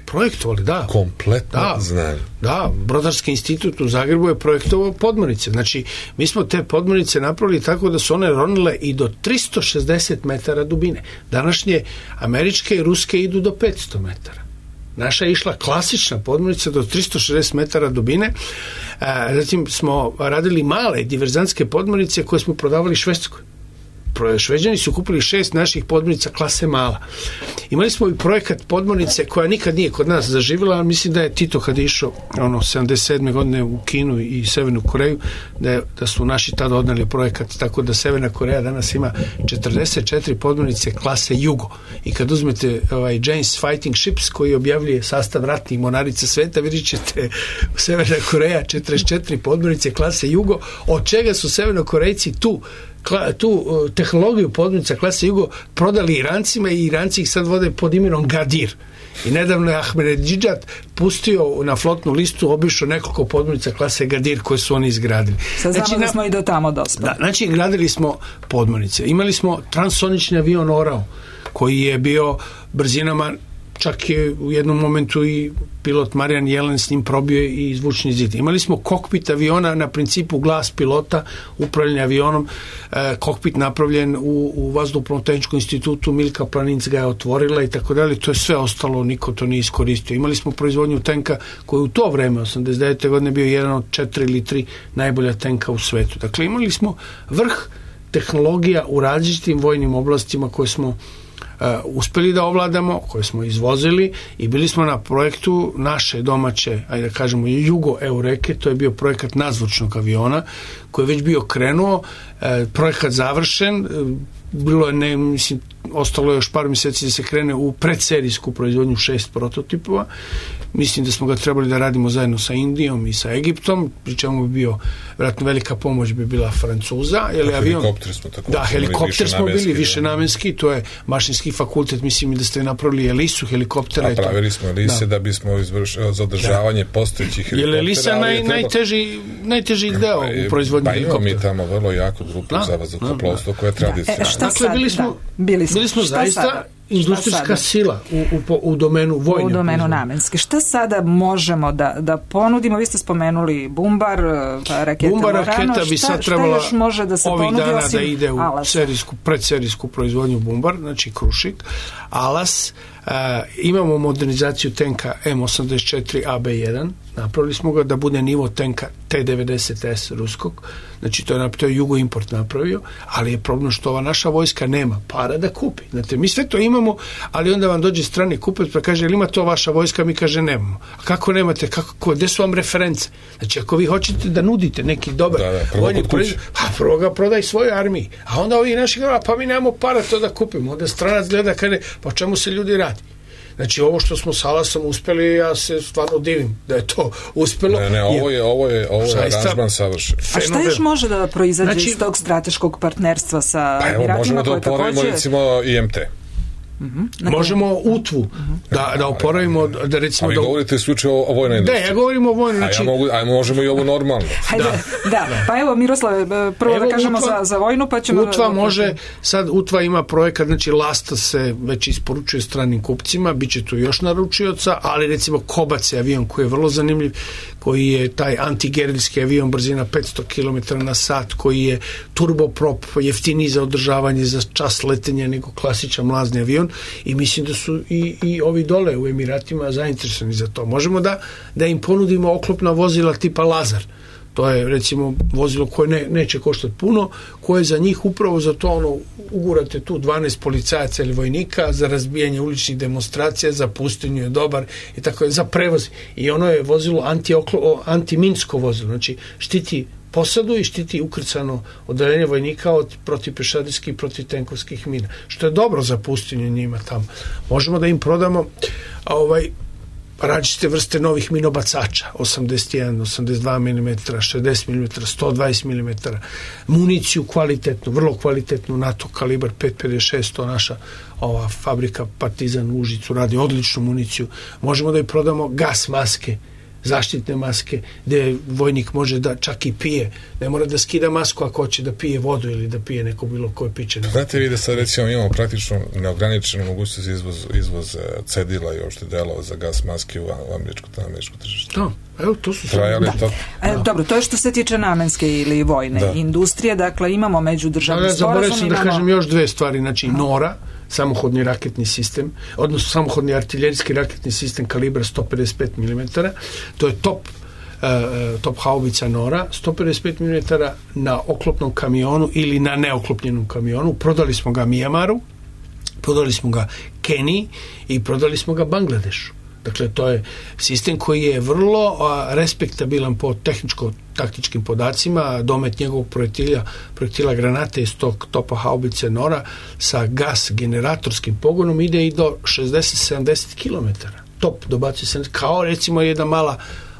Speaker 5: Projektovali, da.
Speaker 4: Kompletno znanje.
Speaker 5: Da, Brodarski institut u Zagrebu je projektovao podmornice. Znači, mi smo te podmornice napravili tako da su one ronile i do 360 metara dubine. Današnje američke i ruske idu do 500 metara. Naša je išla klasična podmornica do 360 metara dubine. Zatim smo radili male diverzantske podmornice koje smo prodavali Švedskoj. Šveđani su kupili 6 naših podmornica klase mala. Imali smo i projekat podmornice koja nikad nije kod nas zaživjela, ali mislim da je Tito kad je išao 77. godine u Kinu i Severnu Koreju, da su naši tada odneli projekat, tako da Severna Koreja danas ima 44 podmornice klase Jugo. I kad uzmete James Fighting Ships koji objavljuje sastav ratnih mornarica sveta, vidjet ćete Severna Koreja 44 podmornice klase Jugo, od čega su Severnokorejci tu tehnologiju podmornica klase Jugo prodali Irancima i Iranci ih sad vode pod imenom Gadir. I nedavno je Ahmedinedžad pustio na flotnu listu, obišao nekoliko podmornica klase Gadir koje su oni izgradili.
Speaker 3: Sad znamo da smo i do tamo dospali.
Speaker 5: Da, znači gradili smo podmornice. Imali smo transsonični avion Orao koji je bio brzinama, čak je u jednom momentu i pilot Marijan Jelen s njim probio i zvučni zid. Imali smo kokpit aviona na principu glas pilota, upravljanje avionom, kokpit napravljen u Vazduhoplovno-tehničkom institutu, Milka Planinc ga je otvorila i tako dalje. To je sve ostalo, niko to nije iskoristio. Imali smo proizvodnju tenka koji u to vreme, 89. godine, bio jedan od 4 ili 3 najbolja tenka u svetu. Dakle, imali smo vrh tehnologija u različitim vojnim oblastima koje smo uspeli da ovladamo, koje smo izvozili i bili smo na projektu naše domaće, ajde da kažemo Jugo Eureke, to je bio projekat nadzvučnog aviona koji je već bio krenuo, projekat završen, bilo je, ostalo je još par mjeseci da se krene u predserijsku proizvodnju 6 prototipova. Mislim da smo ga trebali da radimo zajedno sa Indijom i sa Egiptom, pri čemu bi bio, vjerojatno velika pomoć bi bila Francuza.
Speaker 4: Helikopter smo tako.
Speaker 5: Da, helikopter smo bili višenamenski, to je mašinski fakultet, mislim da ste napravili Elisu helikoptera.
Speaker 4: A pravili smo Elise da bismo izvršili za održavanje postojećih helikoptera.
Speaker 5: Je Elisa najteži deo u proizvodnji helikoptera?
Speaker 4: Imamo mi tamo vrlo jaku grupu za vazduhoplovstvo koja je tradicionalna.
Speaker 5: Dakle, bili smo zaista industrijska sila u domenu vojne.
Speaker 3: U domenu namenske. Šta sada možemo da ponudimo? Vi ste spomenuli Bumbar, rakete
Speaker 5: Bumbar raketa bi sad trebala
Speaker 3: još može da se
Speaker 5: ovih
Speaker 3: ponudi
Speaker 5: dana
Speaker 3: osim
Speaker 5: da ide u predserijsku proizvodnju Bumbar, znači Krušik, Alas. Imamo modernizaciju tenka M84 AB1, napravili smo ga da bude nivo tenka T-90S ruskog, znači to je Jugo Import napravio, ali je problem što ova naša vojska nema para da kupi. Znate, mi sve to imamo, ali onda vam dođe strani kupac pa kaže, ili ima to vaša vojska? Mi kaže, nemamo. A kako nemate? Gde su vam reference? Znači, ako vi hoćete da nudite neki dobar vojni proizvod, prvo ga prodaj svojoj armiji, a onda ovi naši gleda, pa mi nemamo para to da kupimo. Onda stranac gleda, kaže, pa čemu se ljudi radi? Znači, ovo što smo s Alasom uspeli, ja se stvarno divim da je to uspelo.
Speaker 4: Ovo je aranžman savršen.
Speaker 3: A šta još može da proizađe iz tog strateškog partnerstva sa Emiratima?
Speaker 4: Možemo da oporavimo recimo IMT.
Speaker 5: Možemo UTVU da oporavimo, da recimo...
Speaker 4: A vi govorite isključivo o vojnoj industriji.
Speaker 5: Da, ja govorim o vojnoj.
Speaker 4: A možemo i ovo normalno.
Speaker 3: Da, pa evo Miroslave, prvo da kažemo za vojnu, pa ćemo...
Speaker 5: UTVA može, sad UTVA ima projekat, znači Lasta se već isporučuje stranim kupcima, bit će tu još naručioca, ali recimo Kobac je avion koji je vrlo zanimljiv, koji je taj antigerilski avion brzina 500 km na sat, koji je turboprop, jeftiniji za održavanje za čas letenja nego klasičan mlazni avion, i mislim da su i ovi dole u Emiratima zainteresovani za to. Možemo da im ponudimo oklopna vozila tipa Lazar. To je recimo vozilo koje neće koštati puno, koje za njih upravo za to ugurate tu 12 policajaca ili vojnika za razbijanje uličnih demonstracija, za pustinju je dobar i tako je, za prevoz. I ono je vozilo antiminsko vozilo, znači štiti posadu i štiti ukrcano odeljenje vojnika od protivpešadijskih i protivtenkovskih mina, što je dobro za pustinju njima tamo. Možemo da im prodamo različite vrste novih minobacača, 81, 82 mm, 60 mm, 120 mm, municiju kvalitetnu, vrlo kvalitetnu, NATO kalibar 5.56, to naša ova fabrika Partizan u Užicu radi odličnu municiju. Možemo da im prodamo gas maske zaštitne maske, gde vojnik može da čak i pije, ne mora da skida masku ako hoće da pije vodu ili da pije neko bilo koje piće.
Speaker 4: Znate vi da sad recimo imamo praktično neograničenu mogućnost izvoz cedila i uopšte delova za gas maske u američko tržište.
Speaker 5: Da, evo to su
Speaker 3: Dobro, to je što se tiče namenske ili vojne industrije, dakle imamo međudržavni sporazum.
Speaker 5: Zaboravim da kažem još dve stvari, znači NORA, samohodni raketni sistem, odnosno samohodni artiljerijski raketni sistem kalibra 155 mm, to je top haubica NORA, 155 mm na oklopnom kamionu ili na neoklopljenom kamionu. Prodali smo ga Mijamaru, prodali smo ga Keniji i prodali smo ga Bangladešu. Dakle, to je sistem koji je vrlo respektabilan po tehničko-taktičkim podacima. Domet njegovog projektila granate iz tog topa haubice NORA sa gas generatorskim pogonom ide i do 60-70 km. Top dobacuje se kao recimo jedna mala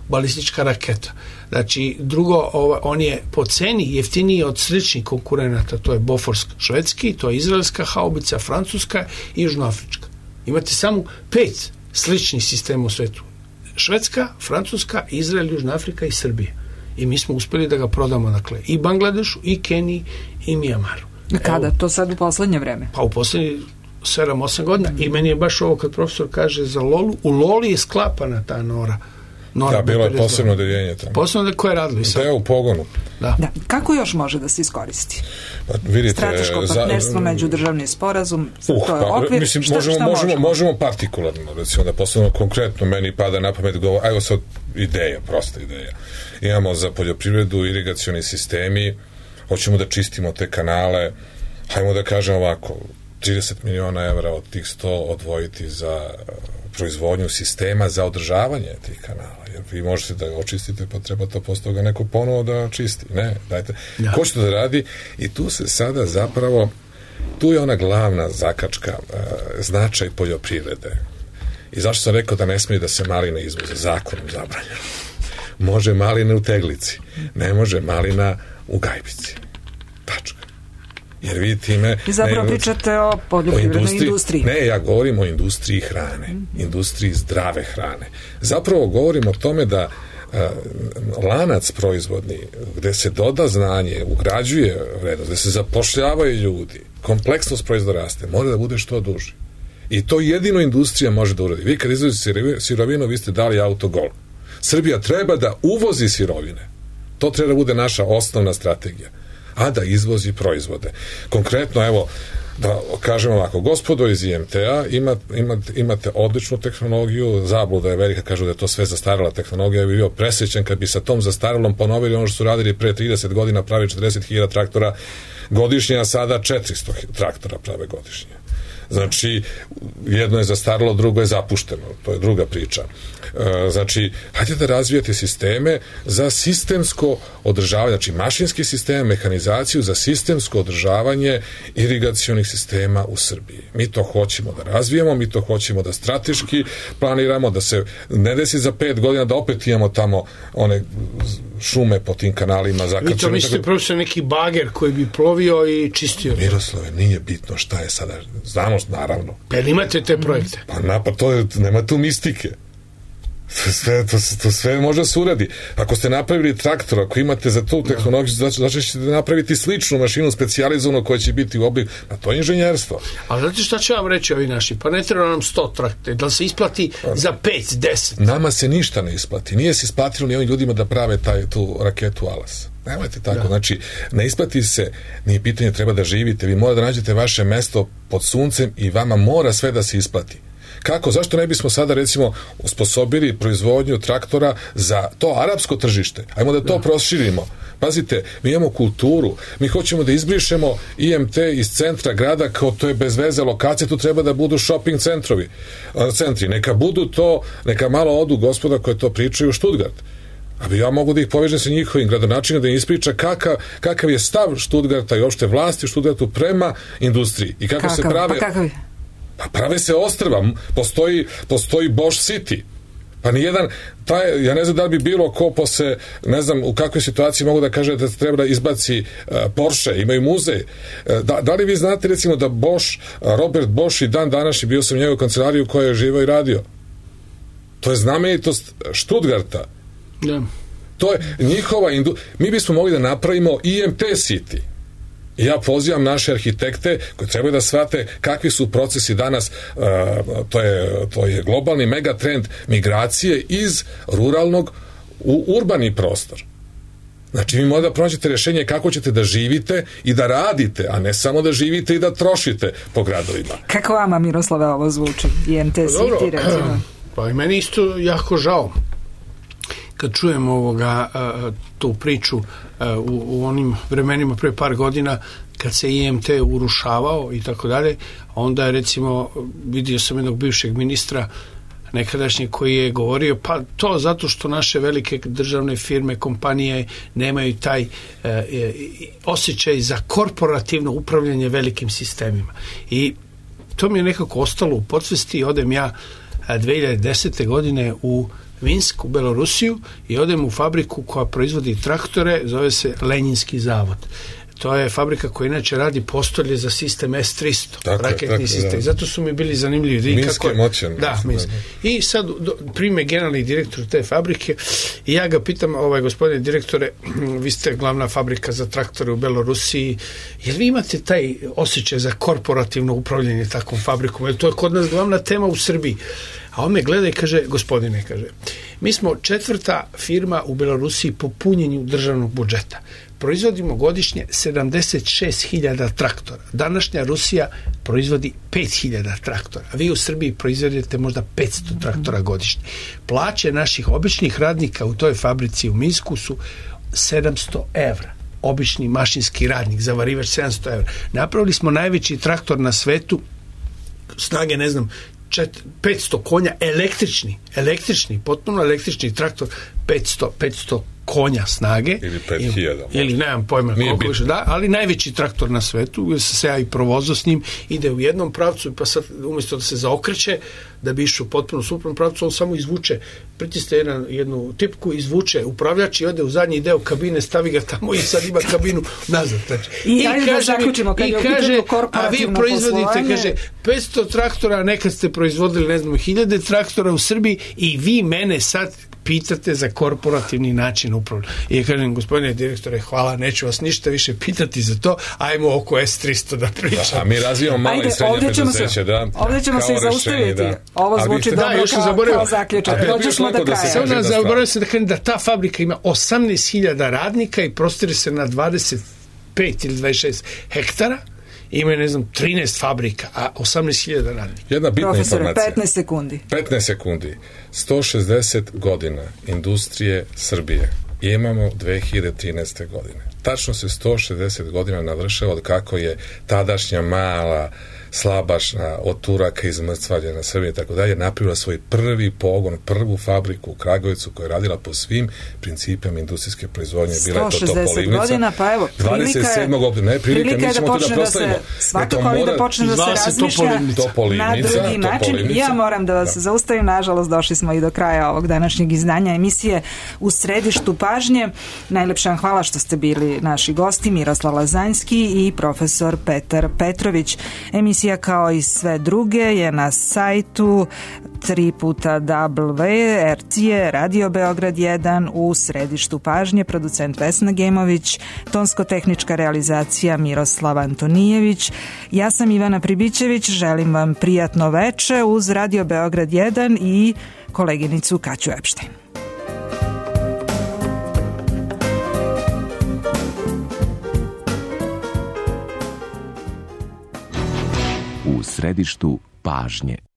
Speaker 5: balistička raketa. Znači, drugo, on je po ceni jeftiniji od sličnih konkurenata, to je Bofors švedski, to je izraelska haubica, francuska i južnoafrička. Imate samo 5 sličnih sistema u svetu. Švedska, Francuska, Izrael, Južna Afrika i Srbija. I mi smo uspeli da ga prodamo, dakle, i Bangladešu, i Keniji, i Mijamaru.
Speaker 3: Kada? To sad u poslednje vreme?
Speaker 5: Pa u poslednje 7-8 godina. I meni je baš ovo kad profesor kaže za Lolu. U Loli je sklapana ta NORA.
Speaker 4: Da, bilo je posebno odeljenje tamo.
Speaker 5: Posebno koje je radilo?
Speaker 4: Da je u pogonu.
Speaker 3: Da. Kako još može da se iskoristi?
Speaker 4: Pa, vidite,
Speaker 3: strateško partnerstvo, međudržavni sporazum, to je okvir,
Speaker 4: mislim,
Speaker 3: šta
Speaker 4: možemo partikularno, recimo da postavimo konkretno, meni pada na pamet, evo sad ideja, prosta ideja. Imamo za poljoprivredu irigacioni sistemi, hoćemo da čistimo te kanale, hajmo da kažemo ovako, 30 miliona evra od tih 100 odvojiti za proizvodnju sistema za održavanje tih kanala. Jer vi možete da očistite, pa treba to posle toga neko ponovo da čisti. Ne, dajte. Ja. Ko će to da radi? I tu se sada zapravo, tu je ona glavna zakačka, značaj poljoprivrede. I zašto sam rekao da ne smije da se maline izvoze? Zakonom zabranjeno. Može maline u Teglici, ne može malina u Gajbici. Tačka. Jer vi time...
Speaker 3: I zapravo pričate o poljoprivrednoj industriji.
Speaker 4: Ne, ja govorim o industriji hrane, industriji zdrave hrane. Zapravo govorim o tome da lanac proizvodni, gde se doda znanje, ugrađuje vrednost, gde se zapošljavaju ljudi, kompleksnost proizvoda raste, mora da bude što duži. I to jedino industrija može da uradi. Vi kad izvozite sirovinu, vi ste dali autogol. Srbija treba da uvozi sirovine. To treba da bude naša osnovna strategija. A da izvozi proizvode. Konkretno, evo, da kažem ovako, gospodo iz IMT-a, imate odličnu tehnologiju, zabluda je velika, kažu da je to sve zastarala tehnologija, ja bi bio presrećen kad bi sa tom zastaralom ponovili ono što su radili pre 30 godina, pravi 40.000 traktora godišnje, a sada 400 traktora prave godišnje. Znači, jedno je zastaralo, drugo je zapušteno. To je druga priča. Znači, hajde da razvijete sisteme za sistemsko održavanje, znači mašinski sistem, mehanizaciju za sistemsko održavanje irigacionih sistema u Srbiji. Mi to hoćemo da razvijemo, mi to hoćemo da strateški planiramo, da se ne desi za 5 godina da opet imamo tamo one šume po tim kanalima zakačene.
Speaker 5: Vi to mislite profesor neki bager koji bi plovio i čistio?
Speaker 4: Miroslave, nije bitno šta je sada. Znamo, naravno.
Speaker 5: Pa imate te projekte?
Speaker 4: Pa to je, nema tu mistike. To sve može da se uradi. Ako ste napravili traktor, ako imate za tu tehnologiju, znači ćete napraviti sličnu mašinu specijalizovanu koja će biti u obliku, a to je inženjerstvo.
Speaker 5: A znate šta će vam reći ovi naši? Pa ne treba nam 100 traktora, da se isplati za 5-10?
Speaker 4: Nama se ništa ne isplati. Nije se isplatilo ni ovim ljudima da prave tu raketu Alas. Nemojte tako, znači ne isplati se, nije pitanje, treba da živite, vi morate da nađete vaše mesto pod suncem i vama mora sve da se isplati. Kako? Zašto ne bismo sada recimo osposobili proizvodnju traktora za to arapsko tržište? Ajmo da to proširimo. Pazite, mi imamo kulturu, mi hoćemo da izbrišemo IMT iz centra grada, kao to je bez veze lokacije, tu treba da budu shopping centri. Neka budu to, neka malo odu gospoda koje to pričaju u Stuttgart. A ja mogu da ih povežem sa njihovim gradonačelnikom, da im ispriča kakav je stav Stuttgarta i opšte vlasti u Stuttgartu prema industriji. I kako se prave...
Speaker 3: Pa kakav je?
Speaker 4: Pa prave se ostrva, postoji Bosch City. Pa nijedan, ja ne znam da li bi bilo ko posle, ne znam u kakvoj situaciji mogu da kaže da treba da izbaci Porsche, imaju muzej. Da li vi znate recimo da Bosch, Robert Bosch i dan današnji, bio sam u njegovoj kancelariji u kojoj je živao i radio. To je znamenitost Stuttgarta.
Speaker 5: Da.
Speaker 4: To je njihova mi bismo mogli da napravimo IMT City. I ja pozivam naše arhitekte koji trebaju da shvate kakvi su procesi danas, to je globalni megatrend migracije iz ruralnog u urbani prostor. Znači, vi morate da pronađete rješenje kako ćete da živite i da radite, a ne samo da živite i da trošite po gradovima.
Speaker 3: Kako vama, Miroslave, ovo zvuči? IMT City, recimo?
Speaker 5: Pa i meni isto jako žao kad čujem tu priču u onim vremenima pre par godina kad se IMT urušavao i tako dalje, onda je recimo vidio sam jednog bivšeg ministra nekadašnji koji je govorio pa to zato što naše velike državne firme, kompanije nemaju taj osjećaj za korporativno upravljanje velikim sistemima. I to mi je nekako ostalo u podsvesti i odem ja 2010. godine u Minsk, u Belorusiju i odem u fabriku koja proizvodi traktore, zove se Lenjinski zavod. To je fabrika koja inače radi postolje za sistem S-300, raketni sistem. I zato su mi bili zanimljivi.
Speaker 4: Minsk je moćan.
Speaker 5: Da, Minsk. I sad prime generalni direktor te fabrike i ja ga pitam, gospodine direktore, vi ste glavna fabrika za traktore u Belorusiji, jel vi imate taj osjećaj za korporativno upravljanje takvom fabrikom? Jer to je kod nas glavna tema u Srbiji. A on me gleda i kaže, gospodine, kaže, mi smo 4. firma u Belorusiji po punjenju državnog budžeta. Proizvodimo godišnje 76.000 traktora. Današnja Rusija proizvodi 5.000 traktora. A vi u Srbiji proizvodite možda 500 traktora godišnje. Plaće naših običnih radnika u toj fabrici u Minsku su 700 evra. Obični mašinski radnik, zavarivač 700 evra. Napravili smo najveći traktor na svetu, snage, 500 konja, električni, potpuno električni traktor, 500 konja snage.
Speaker 4: Ili 5000.
Speaker 5: Ili nemam pojma koliko više, da, ali najveći traktor na svetu, jer se ja i provozao s njim, ide u jednom pravcu, pa sad umjesto da se zaokreće, da bi išao potpuno suprotnom pravcu, on samo izvuče, pritisne jednu tipku, izvuče upravljač i ode u zadnji deo kabine, stavi ga tamo i sad ima kabinu nazad. Znači.
Speaker 3: I kaže,
Speaker 5: a vi proizvodite, kaže, 500 traktora, nekad ste proizvodili, 1000 traktora u Srbiji i vi mene sad pitate za korporativni način upravljanja. I ja kažem, gospodine direktore, hvala, neću vas ništa više pitati za to, ajmo oko S-300 da pričam.
Speaker 4: A mi razvijamo malo i srednje preduzeće, da.
Speaker 3: Ovdje ćemo se i zaustaviti. Ovo zvuči dobro kao zaključak. Dođemo do kraja.
Speaker 5: Sada zaboravio se da kažem da ta fabrika ima 18.000 radnika i prostire se na 25 ili 26 hektara. Imaju, 13 fabrika, a 18.000 radnika.
Speaker 4: Jedna bitna informacija.
Speaker 3: 15
Speaker 4: sekundi. 160 godina industrije Srbije imamo 2013. godine. Tačno se 160 godina navršava od kako je tadašnja mala slabašna od Turaka izmrcvaljena Srbija i tako dalje, napravila svoj prvi pogon, prvu fabriku u Kragujevcu koja je radila po svim principima industrijske proizvodnje. Bila je to Topolivnica.
Speaker 3: Godina, pa evo,
Speaker 4: 27. oktobra.
Speaker 3: Prilika je da počne da se svakako ali da počne da se razmišlja na drugi način. Ja moram da vas zaustavim, nažalost došli smo i do kraja ovog današnjeg izdanja emisije U središtu pažnje. Najlepša vam hvala što ste bili naši gosti, Miroslav Lazanjski i profesor Petar Petrović. Emisija kao i sve druge je na sajtu www.rtje Radio Beograd 1 u središtu pažnje, producent Vesna Gemović, tonsko-tehnička realizacija Miroslav Antonijević. Ja sam Ivana Pribićević, želim vam prijatno veče uz Radio Beograd 1 i koleginicu Kaću Epštajn.
Speaker 13: U središtu pažnje.